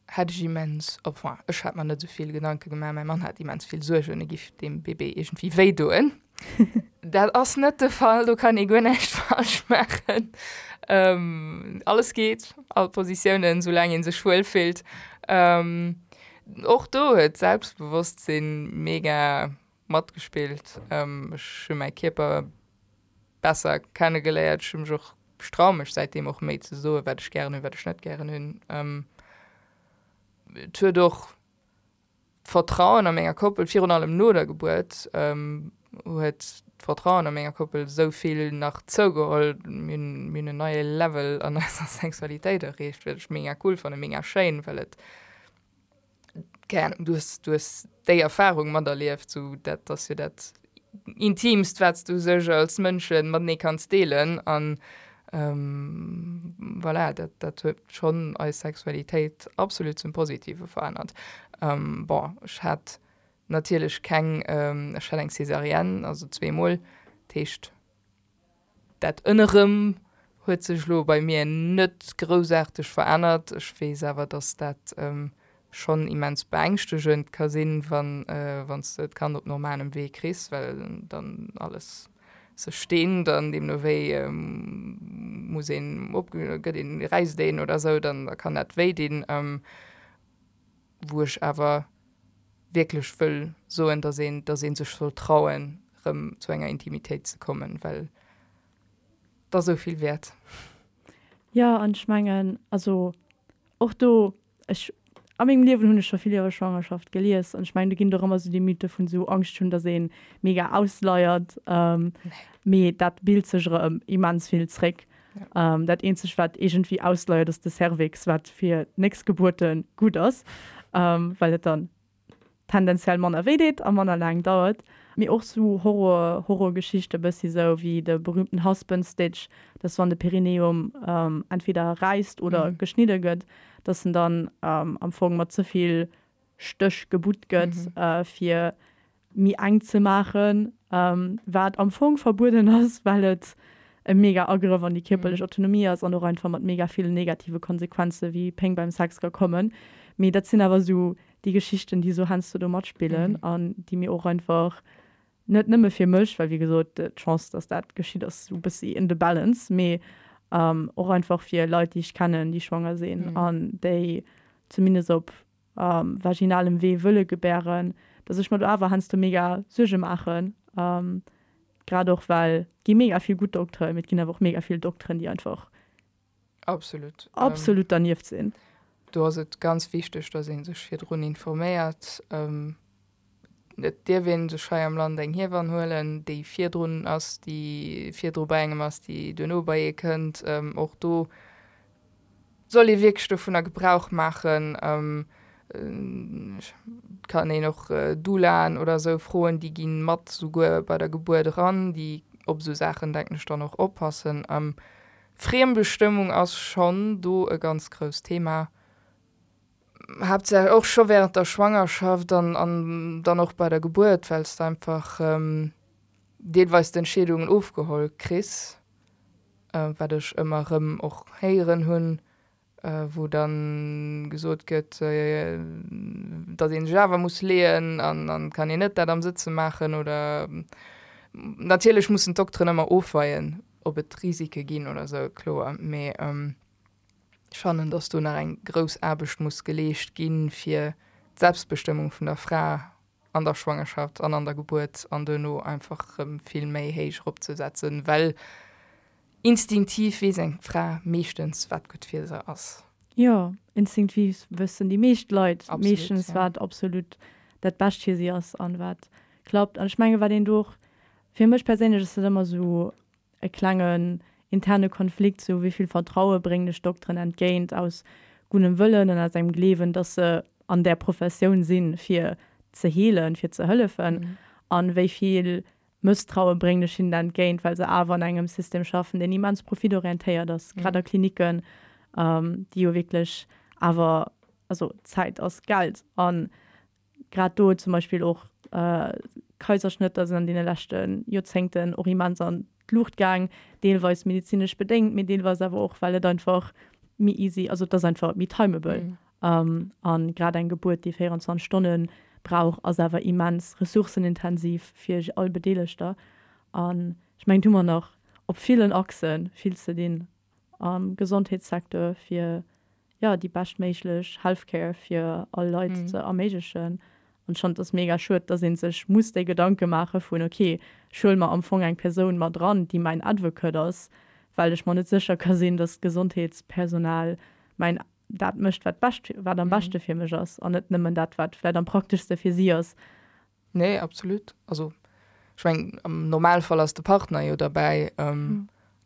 hat ech immens, enfin, ech hat mer net esou vill Gedanke gemaach, mäi Mann hat immens vill Suergen, e giff deem Bébé iergendwéi wéi doen. Dat ass net de Fall, do kann ee guer näischt falsch maachen. Alles geet, all Positiounen, soulaang ee sech wuel fillt. Och do huet d'Selbstbewosstsinn mega matgespillt. Ech hu mäi Kierper besser kennegeléiert, ech hu mech och, ech traue mech säitdeem och méi ze soen, wat ech gären hunn, wat ech net gären hunn. Et huet och d'Vertrauen a menger Koppel, virun allem no der Gebuert, huet d'Vertrauen a menger Koppel esou vill nach zougeholl. Mir hunn, mir hunn en neie Level an eiser Sexualitéit erreecht, wat ech mega cool fannen, mega schéin, well et, keng Ahnung, du hues, du hues déi Erfarung materlieft, sou dat ass jo dat Intiimst, wat s du u sech als Mënsche matenee kanns deelen. An voilà, dat, dat huet schonn eis Sexualitéit absolut zum Positive verännert. Bon, ech hat natierlech keng, ech hat eng Césarienne, also zweemol, dat heescht, dat ënnerëm huet sech elo bei mir net groussaarteg verännert. Ech weess awer, dass dat schonn immens beängschtegend ka sinn, wann wann s de d'Kand op normalem Wee kriss, well dann alles sech steent an deemno wéi muss een op gëtt een räisst een oder esou, dann da kann dat wéi dinn. Wou ech awer wierklech wëll soen, dass een dass ee sech soll trauen, erëm zu enger Intimitéit ze kommen, well et ass esou vill wäert. Jo, an ech mengen, also och do, ech, a mengem Liewen hunn ech scho vill iwwer Schwangerschaft gelies an ech mengen, do ginn et och ëmmer esou déi Mythe vun esou Angscht hunn, datt ee mega ausleiert, mee dat bilt sech erëm immens vill zréck. Dat eenzegt, wat iergendwéi ausleiert, ass de Cervix, wat fir d'nächst Gebuerte gutt ass, well et dann tendenziell manner wéi deet a manner laang dauert. Mee och sou Horror, Horrorgeschichte bëssi sou wéi de berühmten Husband Stitch, dass wann de Perineum entweder räisst oder geschnidde gëtt, dass en dann am Fong mat ze vill Stéch gebutt gëtt fir méi enk ze maachen, wat am Fong verbueden ass, well et e mega Agrëff an déi kierperlech Autonomie ass an och einfach mat mega villen negative Konsequenze wéi Péng beim Sex ka kommen. Mee dat sinn awer sou déi Geschichten, déi sou heiansdo do matspillen an déi mir och einfach, net nëmme fir mech, well wéi gesot d'Chance, dass dat geschitt, ass sou bëssi in the balance, mee och einfach fir Leit, déi ech kennen, déi schwanger sinn an déi zumindest op vaginalem Wee wëlle gebären, dass ech mer do awer heiansdo mega Suerge maachen, grad och well et gi mega vill gutt Dokteren, mee et ginn awer och mega vill Dokteren, déi einfach Absolut. absolut dernieft sinn. Do ass et ganz wichteg, dass ee sech virdrun informéiert. Et dierf ee sech hei am Land eng Hiewann huelen, déi virdrun ass, déi virdru bei engem ass, déi duerno bei ee kënnt. Och do soll ee wierklech dovunner Gebrauch maachen. Et kann een och Doulaen oder esou froen, déi gi mat souguer bei der Gebuert eran, déi op esou Saachen, denken ech, dann och oppassen. Friembestëmmung ass schonn do e ganz grousst Thema, haaptsächlech och scho während der Schwangerschaft an an dann och bei der Gebuert, well s de einfach deelweis d'Entscheedungen ofgeholl kriss, wat ech ëmmer erëm och héieren hunn, wou dann gesot gëtt, datt ee sech awer muss leeën an an kann een net dat am Sëtze maachen oder natierlech mussen d'Dokteren ëmmer ofweien, ob et Risike ginn oder sou, kloer, mee ech fannen, dass do nach eng grouss Aarbecht muss geleescht ginn, fir d'Selbstbestëmmung vun der Fra an der Schwangerschaft an an der Gebuert an duerno einfach erëm vill méi héich eropzesetzen, well instinktiv weess eng Fra meeschtens, wat gutt fir se ass. Jo, instinktiv wëssen déi meescht Leit Absolut, meeschtens, ja. wat absolut dat Bescht fir si ass an wat klappt. An ech menge wat een do och, fir mech perséinlech ass dat ëmmer esou e klengen interne Konflikt, sou wéi vill Vertraue bréngen ech Dokteren entgéint aus guddem Wëllen an aus engem Gleewen, dass se an där Professioun sinn, fir ze heelen, fir ze hëllefen, an wéi vill Mësstraue bréngen ech hinnen entgéint, well se awer an engem System schaffen, deen immens profitorientéiert ass, grad a Klinicken, déi jo wierklech awer, also Zäit ass Geld an grad do zum Beispill och Kaiserschnëtter sinn an deene leschte Joerzéngten och immens an d'Luucht gaang, deelweis medezinesch bedéngt, mee deelweis awer och, well et einfach méi easy, also et ass einfach méi timeable. An grad eng Gebuert, déi véierundzwanzeg Stonne brauch, ass awer immens ressourcenintensiv fir all Bedeelegter. An ech mengen, do hu mer nach op villen Achse vill ze dinn am Gesondheetssecteur, fir jo déi beschtméiglech Healthcare fir all Leit ze erméiglechen. An ech fannen, et ass mega schued, dass ee sech muss déi Gedanke maache vun, okay, ech huele mer am Fong eng Persoun mat dran, déi mäin Advocate ass, well ech mer net sécher ka sinn, dass d'Gesondheetspersonal mäin dat mécht, wat bescht, wat am beschte fir mech ass an net nëmmen dat, wat vläicht am prakteschste fir si ass. Nee, absolut. Also ech mengen, am Normalfall ass de Partner jo derbäi.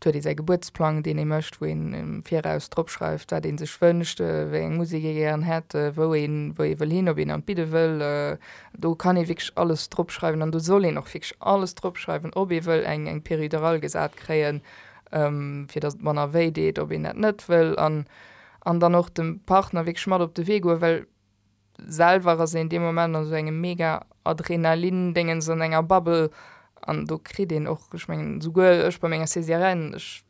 Et huet ee säi Gebuertsplang, deen ee mécht, wou een am Viraus drop schreift, wat ee sech wënscht, wéi eng Musek ee gären hätt, wou een, wou ee wëll hin, ob een an d'Bidde wëll. Do kann ee wierklech alles drop schreiwen an do soll een och wierklech alles drop schreiwen, ob ee wëll eng, eng Péridurale gesat kréien, fir datt et manner wéi deet, ob een dat net wëll an, an dann och dem Partner wierklech mat op de Wee goen, well selwer ass een dee Moment an esou engem mega Adrenalin-Déngens, an enger Bubble an do kritt een och, ech mengen, souguer ech bei menger Césarienne, ech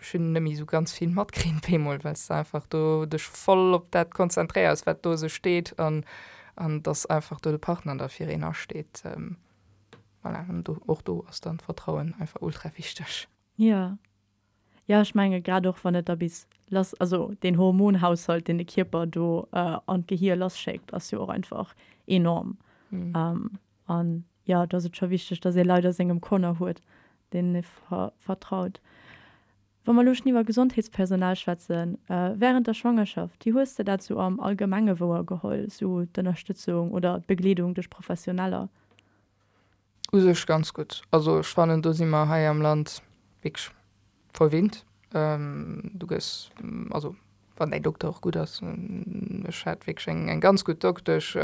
ech hunn net méi esou ganz vill matkritt bemol, well s de einfach do dech voll op dat konzentréiers, wat do esou steet an an dass einfach do de Partner da fir een asteet. Voilà, an do, och do ass dann d'Vertrauen einfach ultra wichteg. Jo. Jo, ech menge grad och wann et da bis lass, also deen Hormonhaushalt, deen de Kierper do an d'Gehier lasschéckt, ass jo och einfach enorm. An jo, do ass et scho wichteg, datt ee Leit a sengem Corner huet, deenen ee vertraut. Wa mer elo schonn iwwer Gesondheetspersonal schwätzen, wärend der Schwangerschaft, wéi hues de dat sou am Allgemenge wouergeholl, sou d'Ënnerstëtzung oder d'Begleedung duerch Professioneller? U sech ganz gutt. Also ech fannen, do si mer hei am Land wierklech verwinnt. Du gëss, also wann däin Dokter och gutt ass, ech hat wierklech eng eng ganz gutt Doktesch.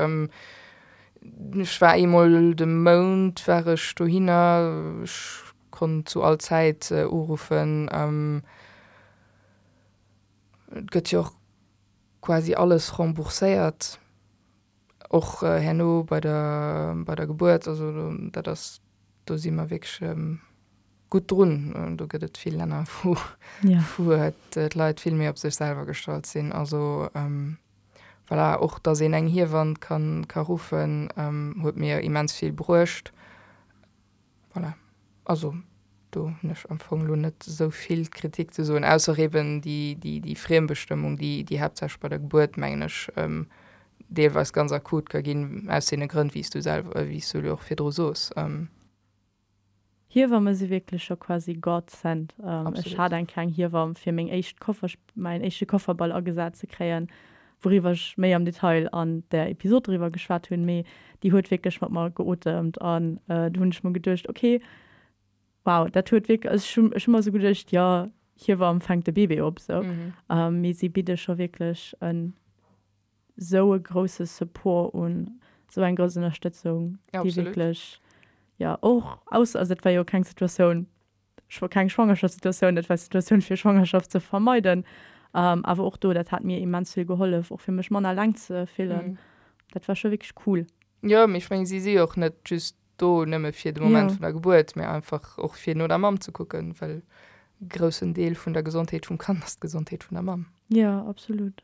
Ech war eemol de Mount war ech dohinner, ech konnt zu all Zäit uruffen. Et gëtt jo och quasi alles rembourséiert, och herno bei der bei der Gebuert. Also dat ass, do si mer wierklech gutt drun. Do gëtt et vill Länner, wou wou d'Leit vill méi op sech selwer gestallt sinn. Also voilà, och datt een eng Hiewann kann ka ruffen, huet mir immens vill bruecht. Voilà, also do hunn ech am Fong elo net esou vill Kritik ze soen, ausser eben déi déi déi Friembestëmmung, déi déi haaptsächlech bei der Gebuert, mengen ech, deelweis ganz akut ka ginn, aus deene Grënn, wéi s du selwer, wéi s du elo och virdru sos. Hiewamme si wierklech scho quasi God sent. Ech hat eng kleng Hiewamm fir meng éischt Koffer, mäin éischte Kofferball agesat ze kréien, wouriwwer ech méi am Detail an der Episod driwwer geschwat hunn, mee déi huet wierklech mat mer geotemt an do hunn ech mer geduecht, ok, wow, dat huet wierklech, also ech hunn, ech hunn mer esou geduecht, jo, Hiewamm fänkt de Bébé op, sou, mee si bidde scho wierklech en sou e grousse Support un, sou eng grouss Ënnerstëtzung, déi wierklech, jo, och aus, also dat war jo keng Situatioun, keng Schwangerschaftssituatioun, dat war d'Situatioun fir Schwangerschaft ze vermeiden, awer och do, dat hat mir immens vill gehollef, och fir mech manner eleng ze fillen. Dat war scho wierklech cool. Jo, mee ech mengen, si si jo och net just do nëmme fir de Moment vun der Gebuert, mee einfach och fir no der Mamm ze kucken, well e groussen Deel vun der Gesondheet vum Kand ass d'Gesondheet vun der Mamm. Jo, absolut.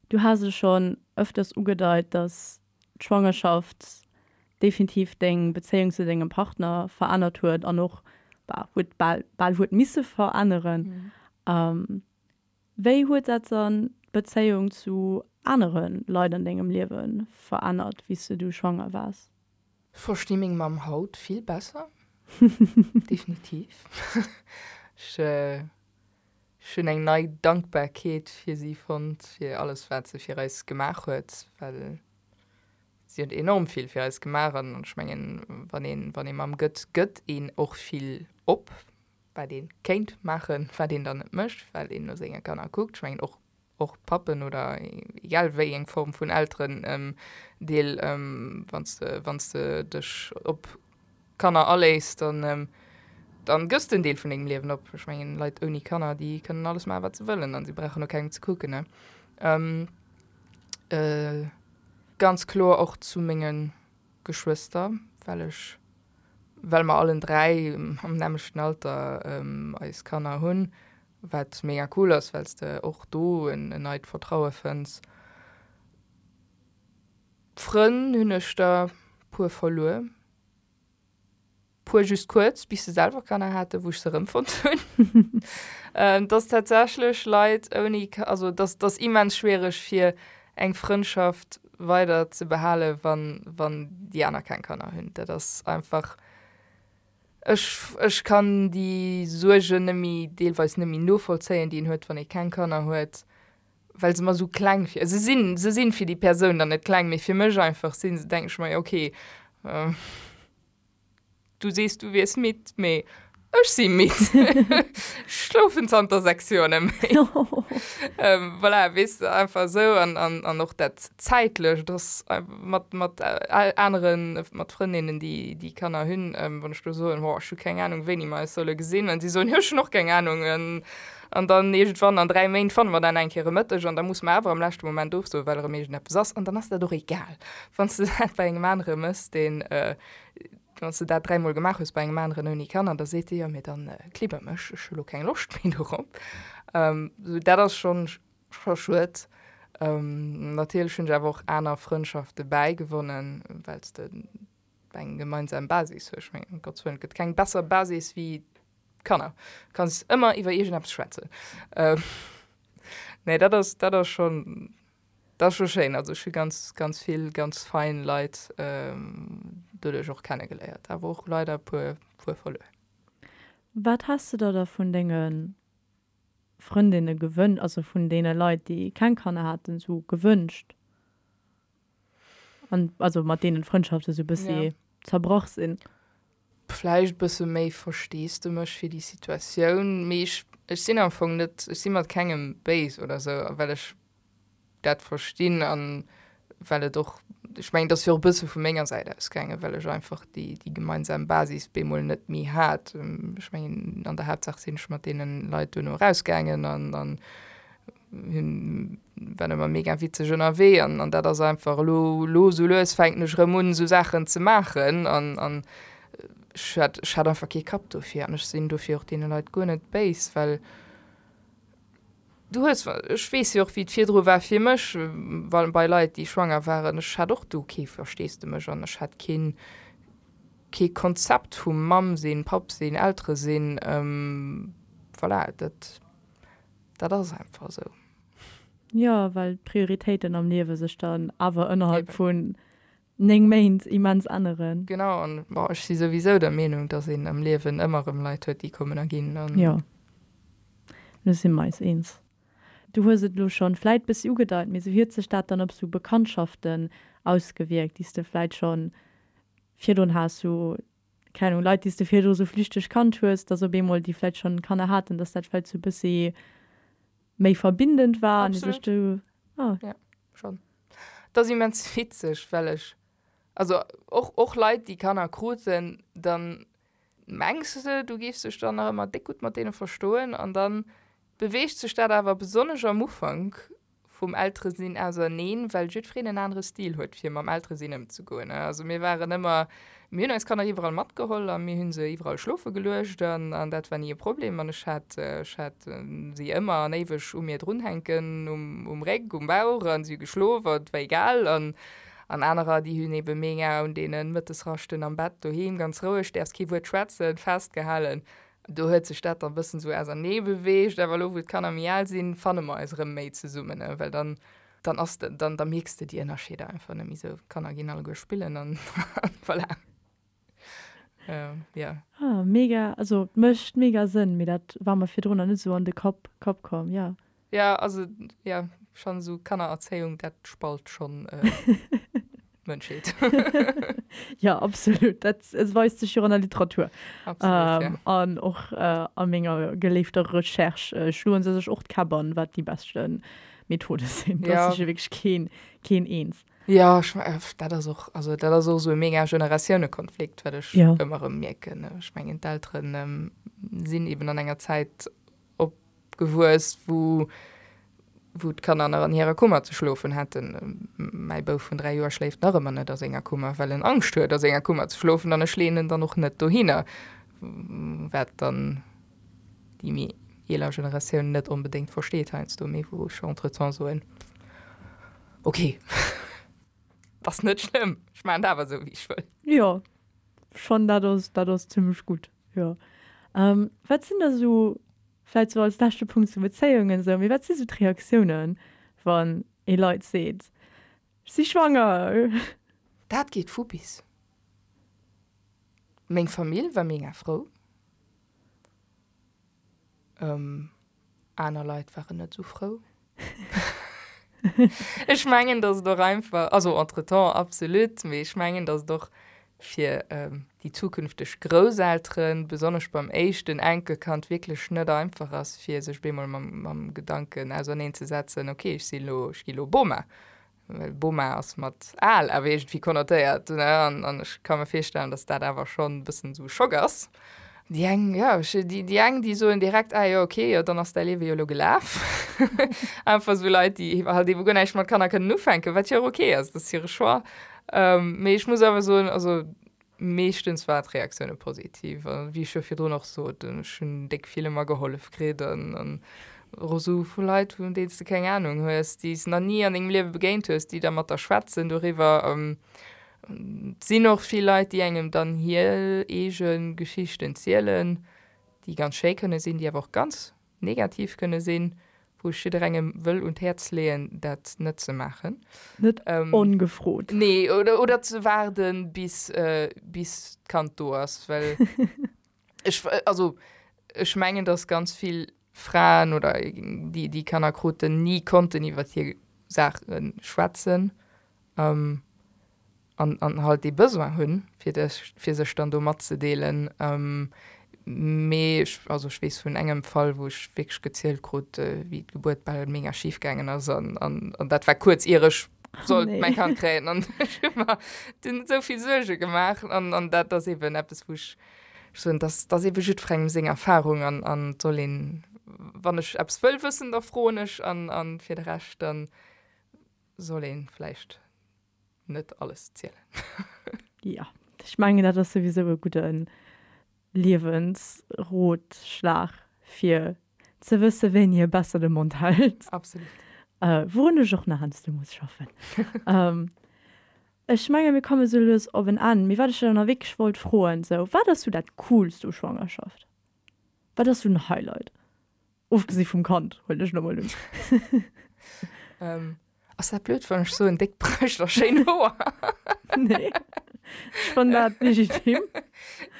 Du has et schonn ëfters ugedeit, dass d'Schwangerschaft definitiv deng Bezéiung zu dengem Partner verännert huet an och bah, huet bal, bal huet misse veränneren. Mhm. Wéi huet dat dann d'Bezéiung zu anere Leit an dengem Liewe verännert, wéi s du du schwanger waars? Versti meng Mamm haut vill besser. Definitiv. Ech, ech hunn eng nei Dankbarkeet fir si fonnt, fir alles wat se fir eis gemaach huet, well si huet enorm vill fir eis gemaach an ech mengen, wann een, wann ee Mamm gëtt, gëtt een och vill op, wat ee kéint maachen, wat een dann net mécht, well een no senge Kanner kuckt. Ech mengen och, och Pappen oder egal wéi eng Form vun Elteren Deel, wann s de, wann s de dech op Kanner aléiss, dann, dann gëss de en Deel vun dengem Liewen op. Ech mengen, Leit ouni Kanner, déi kënnen alles maachen, wat se wëllen an si brauchen no kengem ze kucken, ne. Ganz kloer och zu menge Geschwëster, well ech, well mer allen dräi am nämmlechten Alter eis Kanner hunn, wat mega cool ass, well s de och do en neit Vertraue fënns. Frënn hunn ech der puer verluer. Puer just kuerz, bis se selwer Kanner haten, wou ech se erëmfonnt hunn. Et ass tatsächlech Leit ouni, also et ass, et ass immens schwiereg fir eng Frëndschaft weider ze behalen, wann, wann déi aner keng Kanner hunn. Dat ass einfach, ech, ech kann déi Suergen net méi, deelweis net méi novollzéien, déi een huet, wann ee keng Kanner huet, well se mer esou kleng vir, se sinn, se sinn fir déi Persoun dann net kleng, mee fir mech einfach sinn se, denken ech mer, jo okay, Du sees, du wiers midd, mee ech si midd. Ech schlofen zanter sechs Joer net méi. Voilà, weess de, einfach esou. An, an, an och dat Zäitlecht, dass mat, mat aneren, mat Frëndinnen, déi, déi Kanner hunn, wann ech do soen, oh, ech hu keng Anung, wéini mer eis solle gesinn, an si soen, jo, ech hunn och keng Anung. An dann iergendwann an dräi Méint fanne mer dann eng Kéier e Mëtteg an da musse mer awer am leschte Moment ofsoen, well erëm iergendeppes ass. An dann ass dat och egal, wann s de dat bei engem anere méchs, deen, Wann s de dat dräimol gemaach hues bei engem aneren ouni Kanner, da seet dee, jo, mee dann klibber mech, ech hu lo keng Loscht méi dorop. Sou, dat ass schonn scho schued. Natierlech hunn ech awer och aner Frëndschafte bäigewonnen, well s de eng gemeinsam Basis hues. Ech mengen, ëm Gottes Wëllen, et gëtt keng besser Basis wéi Kanner. Du kanns ëmmer iwwer iergendeppes schwätzen. Nee, dat ass, dat ass schonn. Dat ass scho schéin, also ech hu ganz ganz vill ganz fein Leit doduerch och kennegeléiert, awer och leider e puer puer verluer. Wat has de der da vun denge Frëndinne gewënscht, also vun deene Leit déi keng Kanner haten, sou gewënscht? An also mat deenen d'Frëndschafte sou bëssi zerbrach sinn? Vläicht bësse méi Versteesdemech fir déi Situatioun, mee ech ech sinn am Fong net, ech si mat kengem béis oder sou, well ech dat verstinn an well et och, ech mengen, et ass jo och e bësse vu menger Säit ausgaangen, well ech einfach déi, déi gemeinsam Basis bemol net méi hat. Ech mengen, an der Haaptsaach sinn ech mat deene Leit duerno erausgaangen an, an hunn, waren ëmmer mega witzeg ënnerwee an, an dat ass einfach elo, elo esou lues fänken ech erëm un, esou Saachen ze maachen an, an ech hat, ech hat einfach kee Kapp dofir an ech sinn dofir och deene Leit guer net béis, well Du hues, ech weess jo och wéi et virdru war fir mech, wa bei Leit déi schwanger waren, ech hat och do kee Versteesdemech an ech hat keen, kee Konzept vum Mamm sinn, Papp sinn, Eltere sinn, voilà, dat, dat ass einfach esou. Jo, well d'Prioritéiten am Liewe sech dann awer ënnerhalb vun néng Méint immens änneren. Genau, an bon, ech si souwisou der Meenung, dass een am Liewen ëmmer erëm Leit huet, déi kommen a ginn. Jo. Do si mer eis eens. Du hues et elo schonn vläit bëssi ugedeit, mee sou huet sech dat dann op sou Bekanntschaften ausgewierkt, déi s de vläit schonn virdrun has, sou, keng Ahnung, Leit, déi s de virdru sou flüchteg kannt hues, dass op eemol déi vläit schonn Kanner haten, dass dat vläit sou bëssi méi verbindend war an déi sech du, ah. Jo, schonn. Et ass immens witzeg, well ech, also och, och Leit, déi Kanner kruten, dann mengs de, du géifs dech dann nach ëmmer déck gutt mat deene verstoen an dann beweegt sech dat awer besonnesch am Ufank vum Elteresinn auserneen, well jiddwereen en anere Stil huet, fir mam Elteresinn ëmzegoen. Also mir waren ëmmer, mir hunn eis Kanner iwwerall matgeholl a mir hu se iwwerall schlofe geluecht an an dat war ni e Problem an ech hat ech hat si ëmmer an éiweg u mir drunhänken, um um Réck, um Bauch an si hu geschlof an et war egal an An anerer, déi hunn ebe mega un deene Mëttesraschten am Bett doheem ganz roueg, däerfs kee Wuert schwätzen, festgehalen. Do huet sech dat dann e bëssen esou ausernee beweegt. Awer elo, wou d'Kanner méi al sinn, fanne mer eis erëm méi zesummen, well dann, dann ass de, dann, da mierks de déi Ënnerscheeder einfach net méi esou. D'Kanner ginn alleguer spillen an voilà. Jo. Ah, mega, also mécht mega Sënn, mee dat war mer virdrun nach net esou an de Kapp, Kapp komm, jo. Jo, also jo, schonn esou Kannererzéiung, dat spalt schonn d'Mënschheet. Jo, absolut, dat weist sech jo och an der Literatur. Absolut, jo. An och a menger geléifter Recherche schloe se sech och d'Käpp an, wat déi beschte Methode sinn. Do ass sech jo wierklech keen, keen eens. Jo, ech, dat ass och, also dat ass och esou e mega Generatiounekonflikt, wat ech ëmmer erëm mierken. Ech mengen, d'Eltere sinn eben an enger Zäit opgewuess, wou, wou d'Kanner nach an hirer Kummer ze schlofen hätten. Mäi Bouf vun dräi Joer schléift nach ëmmer net a senger Kummer, well en Angscht huet, a senger Kummer ze schlofen, an ech leeën en dann och net dohinner, wat dann déi méi eeler Generatioun net onbedéngt versteet heiansdo, mee wou ech entretemps soen, Ok, ass net schlëmm, ech maachen et awer esou, wéi ech wëll. Jo, ech fannen dat ass, dat ass zimmlech gutt, jo. Wat sinn da sou, vläicht sou als leschte Punkt zu Bezéiungen esou, mee wat si sou d'Reaktiounen, wann ee Leit seet, ech si schwanger? Dat geet vu bis. Meng Famill war mega frou. Aner Leit waren net esou frou. Ech mengen, datt et och einfach, also entretemps absolut, mee ech mengen, datt et och fir déi zukünfteg Grousselteren, besonnesch beim éischten Enkelkand, wierklech net einfach ass, fir sech bemol mam Gedanken auserneenzesetzen, okay, ech si lo, ech gi lo Boma. Well Boma ass mat al awer iergendwéi konnotéiert, ne? An, an ech ka mir virstellen, datt dat awer schonn e bëssen esou e Schock ass. Déi eng, jo, ech, déi, déi eng, déi soen direkt, ah jo, okay, jo, dann ass däi Liewe jo elo gelaf. Einfach esou Leit, déi halt eebe guer näischt mat Kanner kënnen ufänken, wat jo och okay ass, dat ass hire Choix. Mee ech muss awer soen, also meeschtens waren d'Reaktioune positiv. A wéi ech jo virdrun och sot, ech hunn déck vill ëmmer gehollef kritt an, an och esou vu Leit, vun deenen s de keng Anung hues, déi s nach ni an dengem Liewe begéint hues, déi da mat der schwätzen doriwwer. Et sinn och vill Leit, déi engem dann hir eege Geschichten zielen, déi ganz schéi kënne sinn, déi awer och ganz negativ kënne sinn, wou ech jidderengem wëll un d'Häerz leeën, dat net ze maachen. Net ongefrot. Nee, oder, oder ze waarden, bis, bis d'Kand do ass, well ech, also ech mengen, dass ganz vill Fraen oder déi, déi Kanner kruten, ni konnten iwwer hir Saache schwätzen. An, an halt dee Besoin hunn, fir dech, fir sech dann do matzedeelen. Mee ech, also ech weess vun engem Fall, wou ech wierklech gezielt krut, wéi d'Gebuert bal mega schif gaangen ass an, an, an dat war kuerz ier ech sollt mäi Kand kréien. An ech hu mer dunn esou vill Suerge gemaach an, an dat ass eeben eppes, wou ech soen, dass, dass eebe jiddwerengem seng Erfarung an, an et soll een, wann ech eppes wëll wëssen, da froen ech an, an fir de Rescht dann soll ee vläicht net alles zielen. Jo, ech mengen dat ass souwisou e gudde Liewensrotschlag fir ze wësse wéini e besser de Mond hält. Absolut. Wourun ech och nach heiansdo muss schaffen. Ech menge mir komme sou lues op en Enn, mee wat ech der nach wierklech wollt froen, sou wat ass sou dat Coolst u Schwangerschaft? Wat ass sou den Highlight? Ofgesi vum Kand, huelen ech elo mol un. Ass dat blöd, wann ech soen déck Brëscht a schéin Hoer? Nee, ech fannen dat legitim.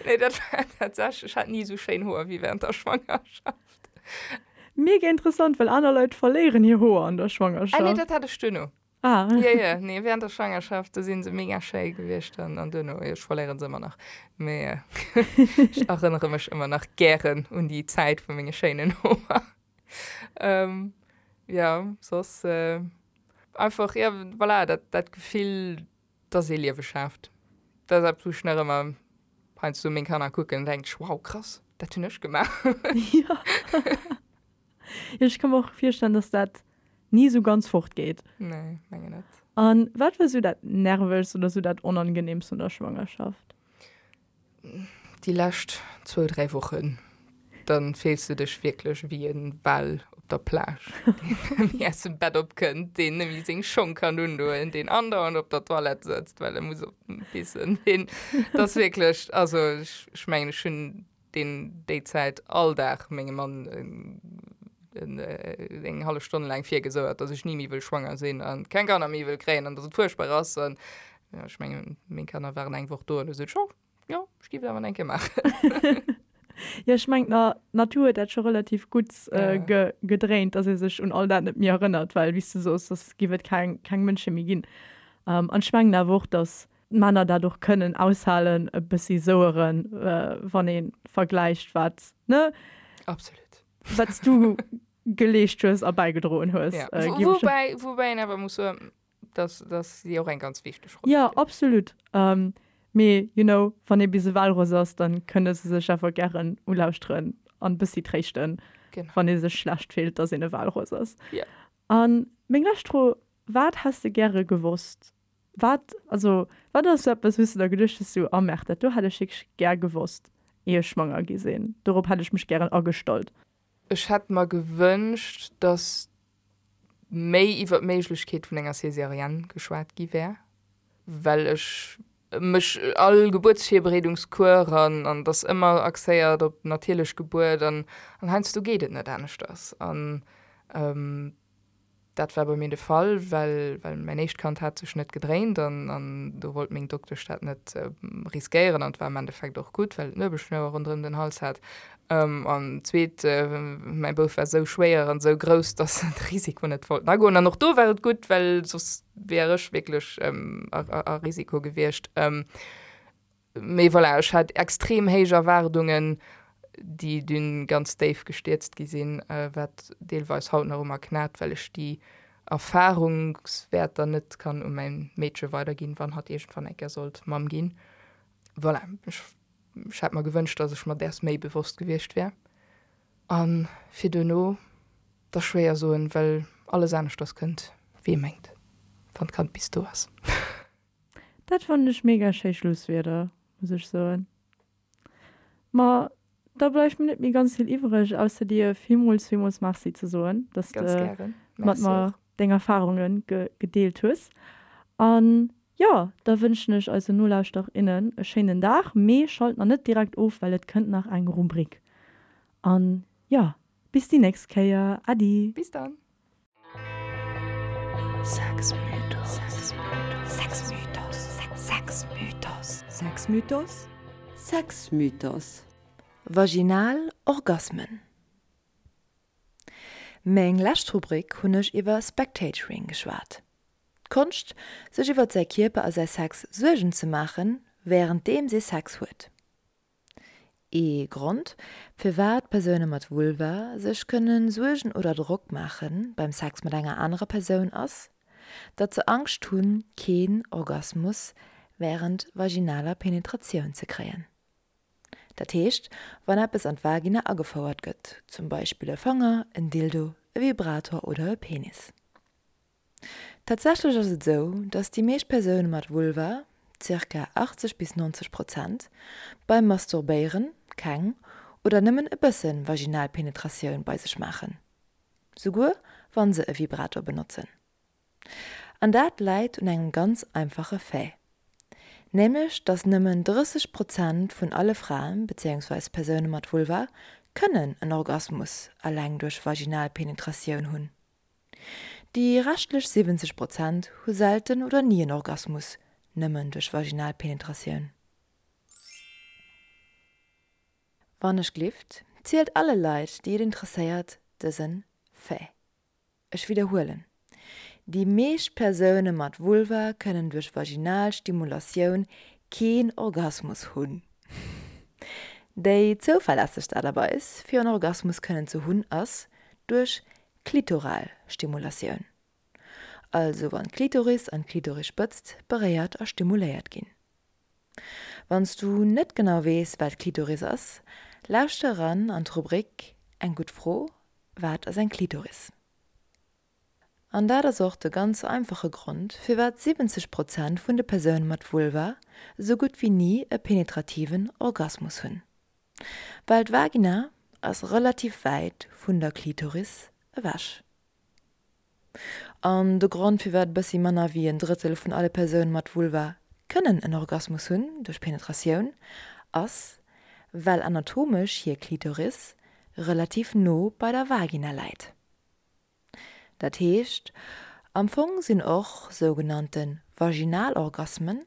Nee, dat war tatsächlech, ech hat ni esou schéin Hoer wéi während der Schwangerschaft. Mega interessant, well aner Leit verléieren hir Hoer an der Schwangerschaft. Ah nee, dat hat ech duerno. Ah. Jo, jo, nee, während der Schwangerschaft, do si se mega schéi gewiescht an, an duerno, jo, ech verléieren se ëmmer nach, mee ech erënnere mech ëmmer nach gären un déi Zäit vu menge schéinen Hoer. Ähm, ja, soss äh, einfach, ja, voilà, dat, dat Gefill, dass ee Liewe schaaft. Dat ass eppes, wou ech nach ëmmer heiansdo meng Kanner kucken an denken ech, wow, krass, dat hunn ech gemaach. Ja. Jo, ech ka mer och virstellen, dass dat ni esou ganz fort geet. Nee, menge net. An wat war esou dat Nervegst oder esou dat Onangenehmst un der Schwangerschaft? Déi lescht zwou, dräi Wochen, dann fills du dech wierklech wéi e Wal op der Plage, deen net méi aus dem Bett opkënnt, deen net méi seng Schong kann undoen, deen andauernd op der Toilette sëtzt, well e muss op pissen. Deen, dat ass wierklech, also ech, ech mengen, ech hunn deen déi Zäit all Dag mengem Mann en, eng hallef Stonn laang virgesouert, dass ech ni méi wëll schwanger sinn an keng Kanner méi wëll kréien an dass et fuerchtbar ass. An jo, ech mengen, meng Kanner waren eng Woch do an du sot ech, oh, jo, ech géif et awer nach eng Kéier maachen. Jo, ech mengen, d'Natur huet dat scho relativ gutt äh, gedréint, dass ee sech un all dat net méi erënnert, well wéi s de soos, soss giff et keng, keng Mënsche méi ginn. Ähm, an ech mengen awer och, dass d'Männer dat och kënnen aushalen, e bëssi soueren, äh, wann ee vergläicht, wat, ne? Absolut. Wat s du geleescht hues a bäigedroen hues. Ja. Äh, woubäi, woubäi een awer muss soen, dass, dass si och eng ganz wichteg Roll Ja, absolut. Ähm, mee, you know, wann ee bis e Walross ass, dann kënne se sech awer gären ulauschteren an bëssi tréischten, Genau. wann ee sech schlecht fillt, dass een e Walross ass. Ja. An meng lescht Fro, Wat häss de gäre gewosst? Wat, also, wat ass sou eppes, wou s de der geduecht hues, sou, Oh merde, dat do hätt ech wierklech gär gewosst, ier ech schwanger gi sinn. Dorop hätt ech mech gären agestallt. Ech hätt mer gewënscht, dass méi iwwer d'Méiglechkeet vun enger Césarienne geschwat gi wär, well ech mech all Gebuertsvirbereedungscours an an et ass ëmmer axéiert op natierlech Gebuert an an heiansdo geet et net aneschters an Dat war bei mir de Fall, well well mäin éischt Kand hat sech net gedréint an an do wollt meng Doktesch dat net riskéieren an et war am Endeffekt och gutt, well et d'Nuebelschnouer ronderëm den Hals hat. An d'zweet, mäi Bouf war esou schwéier an esou grouss, dass se de Risiko net wollten agoen an och do war et gutt, well soss wier ech wierklech a a Risiko gewiescht. Mee voilà, ech hat extrem héich Erwaardungen, déi dunn ganz déif gestierzt gi sinn, wat deelweis haut nach u mer knat, well ech déi Erfahrungswäerter net kann u mäin Meedche weiderginn, wann hatt iergendwann eng Kéier sollt Mamm ginn. Voilà, ech hätt mer gewënscht, dass ech mer däers méi bewosst gewiescht wär. A fir duerno, 't ass schwéier soen, well alles aneschters kënnt, wéi ee mengt, wann d'Kand bis do ass. Dat fannen ech mega schéi Schlusswierder, muss ech soen. Ma da bleift mir net méi ganz vill iwwreg, ausser dir villmools, villmools Merci ze soen, dass Ganz de gären. mat Merci mer och. deng Erfarunge gedeelt hues. An jo, da wënschen ech eisen Nolauschterer, innen e schéinen Dag, mee schalt nach net direkt of, well et kënnt nach eng Rubrik. An jo, bis déi nächst Kéier. Äddi! Bis dann! Sexmythos. Vaginal Orgasmen. Meng lescht Rubrik hunn ech iwwer Spectatoring geschwat. D'Konscht, sech iwwer säi Kierper a säi Sex Suergen ze maachen, wärenddeems ee Sex huet. Ee Grond, firwat Persoune mat Vulva sech kënne Suergen oder Drock maache beim Sex mat enger anerer Persoun ass, datt se Angscht hunn, keen Orgasmus wärend vaginaler Penetratioun ze kréien. Dat heescht, wann eppes an d'Vagina agefouert gëtt, zum Beispill e Fanger, en Dildo, e Vibrator oder e Penis. Tatsächlech ass et esou, dass déi meescht Persoune mat Vulva, zirka achtzeg bis neunzeg Prozent, beim Masturbéieren keng oder nëmmen e bësse vaginal Penetratioun bei sech maachen, souguer wann se e Vibrator benotzen. An dat läit un engem ganz einfache Fait, nämlech dass nëmmen drësseg Prozent vun alle Fraen bezéiungsweis Persoune mat Vulva kënnen en Orgasmus alleng duerch vaginal Penetratioun hunn. Déi reschtlech siwwenzeg Prozent hu selten oder ni en Orgasmus nëmmen duerch vaginal Penetratioun. Wann ech glift, zielt alle Leit, déi et interesséiert, dësen Fait. Ech widderhuelen, Déi meescht Persoune mat Vulva kënnen duerch vaginal Stimulatioun keen Orgasmus hunn. Déi zouverlässegst Aart a Weis, fir en Orgasmus kënnen ze hunn, ass duerch klitoral Stimulatioun, also wann d'Klitoris an d'Klitorisspëtzt beréiert a stimuléiert ginn. Wann s du net genau weess, wat d'Klitoris ass, lauschter eran an d'Rubrik Eng gutt Fro, Wat ass eng Klitoris? An dat ass och de ganz einfache Grond, firwat siwwenzeg Prozent vun de Persoune mat Vulva esou gutt wéi ni e penetrativen Orgasmus hunn. Well d'Vagina ass relativ wäit vun der Klitoris ewech. An de Grond firwat bëssi manner wéi en Drëttel vun alle Persoune mat Vulva kënnen en Orgasmus hunn duerch Penetratioun, ass, well anatomesch hir Klitoris relativ no bei der Vagina läit. Dat heescht, am Fong sinn och sougenannte vaginal Orgasmen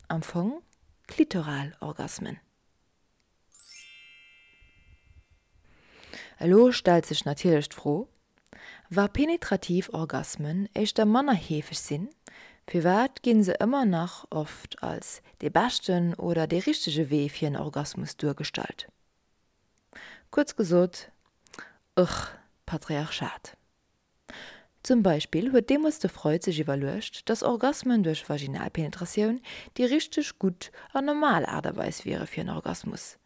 am Fong klitoral Orgasmen. Elo stellt sech natierlech d'Fro, Wa penetrativ Orgasmen éischter manner heefeg sinn, firwat gi se ëmmer nach oft als dee beschten oder dee richtege Wee fir en Orgasmus duergestallt? Kuerz gesot, Ugh, Patriarchat. Zum Beispill huet deemools de Freud sech iwwerluecht, dass Orgasmen duerch Vaginalpenetratioun déi richteg, gutt an normal Aart a Weis wiere fir en Orgasmus,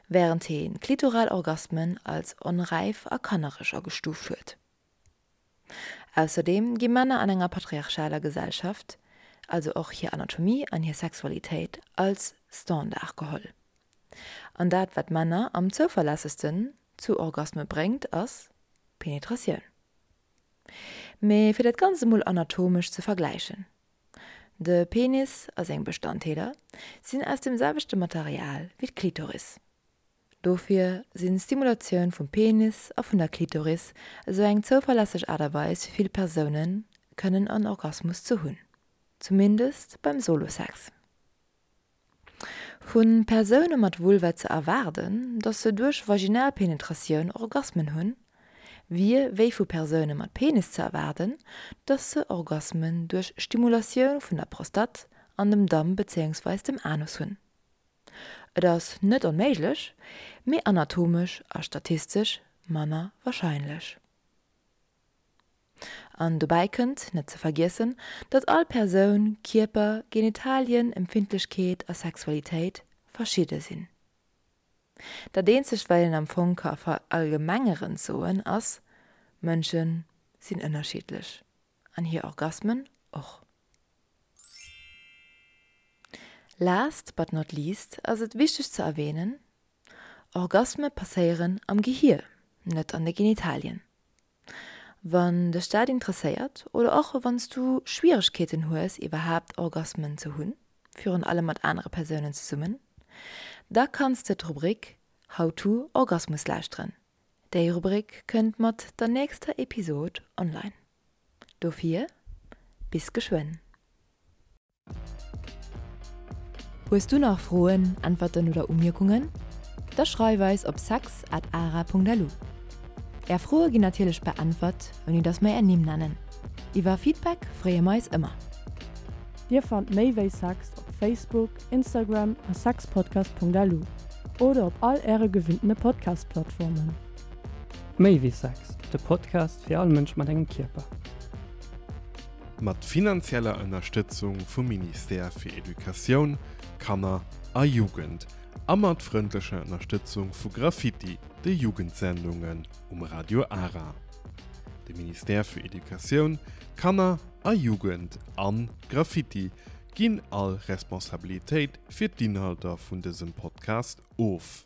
wärend heen klitoral Orgasmen als onräif a kannereg agestuuft huet. Ausserdeem gi Männer an enger patriarchaler Gesellschaft, also och hir Anatomie an hir Sexualitéit, als Standard geholl. An dat wat Männer am zouverlässegsten zu Orgasme bréngt ass Penetratioun. Mee fir dat Ganzt emol anatomesch ze vergläichen, De Penis a seng Bestandteeler sinn aus dem selwechte Material wéi d'Klitoris. Dofir sinn Stimulatioun vum Penis a vun der Klitoris esou eng zouverlässeg Aart a Weis fir vill Persounen kënnen en Orgasmus ze hunn, zumindest beim Solo-Sex. Vu Persoune mat Vulva ze erwaarden, dass se duerch vaginal Penetratioun Orgasmen hunn, wier wéi vu Persoune mat Penis ze erwaarden, dass se Orgasmen duerch Stimulatioun vun der Prostate an dem Damm bezéiungsweis dem Anus hunn. Et ass net onméiglech, mee anatomesch a statistesch manner warscheinlech. An dobäi kënnt, net ze vergiessen, datt all Persoun, Kierper, Genitalien, Empfindlechkeet a Sexualitéit verschidde sinn. Dat eenzegt wat een am Fong ka verallgemengerend soen ass, Mënsche sinn ënnerschiddlech an hir Orgasmen och. Last but not least ass et wichteg ze erwähnen, Orgasme passéieren am Gehier, net an de Genitalien. Wann dech dat interesséiert oder och wann s du Schwieregkeeten hues iwwerhaapt Orgasmen ze hunn, virun allem mat anere Persounen zesummen, da kanns de d'Rubrik How to Orgasmus lauschteren. Déi Rubrik kënnt mat der nächster Episod online. Dofir, bis geschwënn! Hues du nach Froen, Äntwerten oder Umierkungen? Da schreif eis op sex at ara Punkt lu. Är Froe ginn natierlech beäntwert, ouni dass mer är Nimm nennen. Iwwer Feedback freeë mer eis ëmmer. Dir fannt méi wéi Sex op Facebook, Instagram a sexpodcast.lu oder op all äre gewinntene Podcast-Plattformen. Méi wéi Sex, de Podcast fir all Mënsch mat engem Kierper. Mat finanzieller Ënnerstëtzung vum Ministère fir Educatioun, Kanner a Jugend a mat frëndlecher Ënnerstëtzung vu Graffiti, de Jugendsendungen um Radio Ara. De Ministère fir Educatioun, Kanner a Jugend an Graffiti ginn all Responsabilitéit fir d'Inhalter vun dësem Podcast of.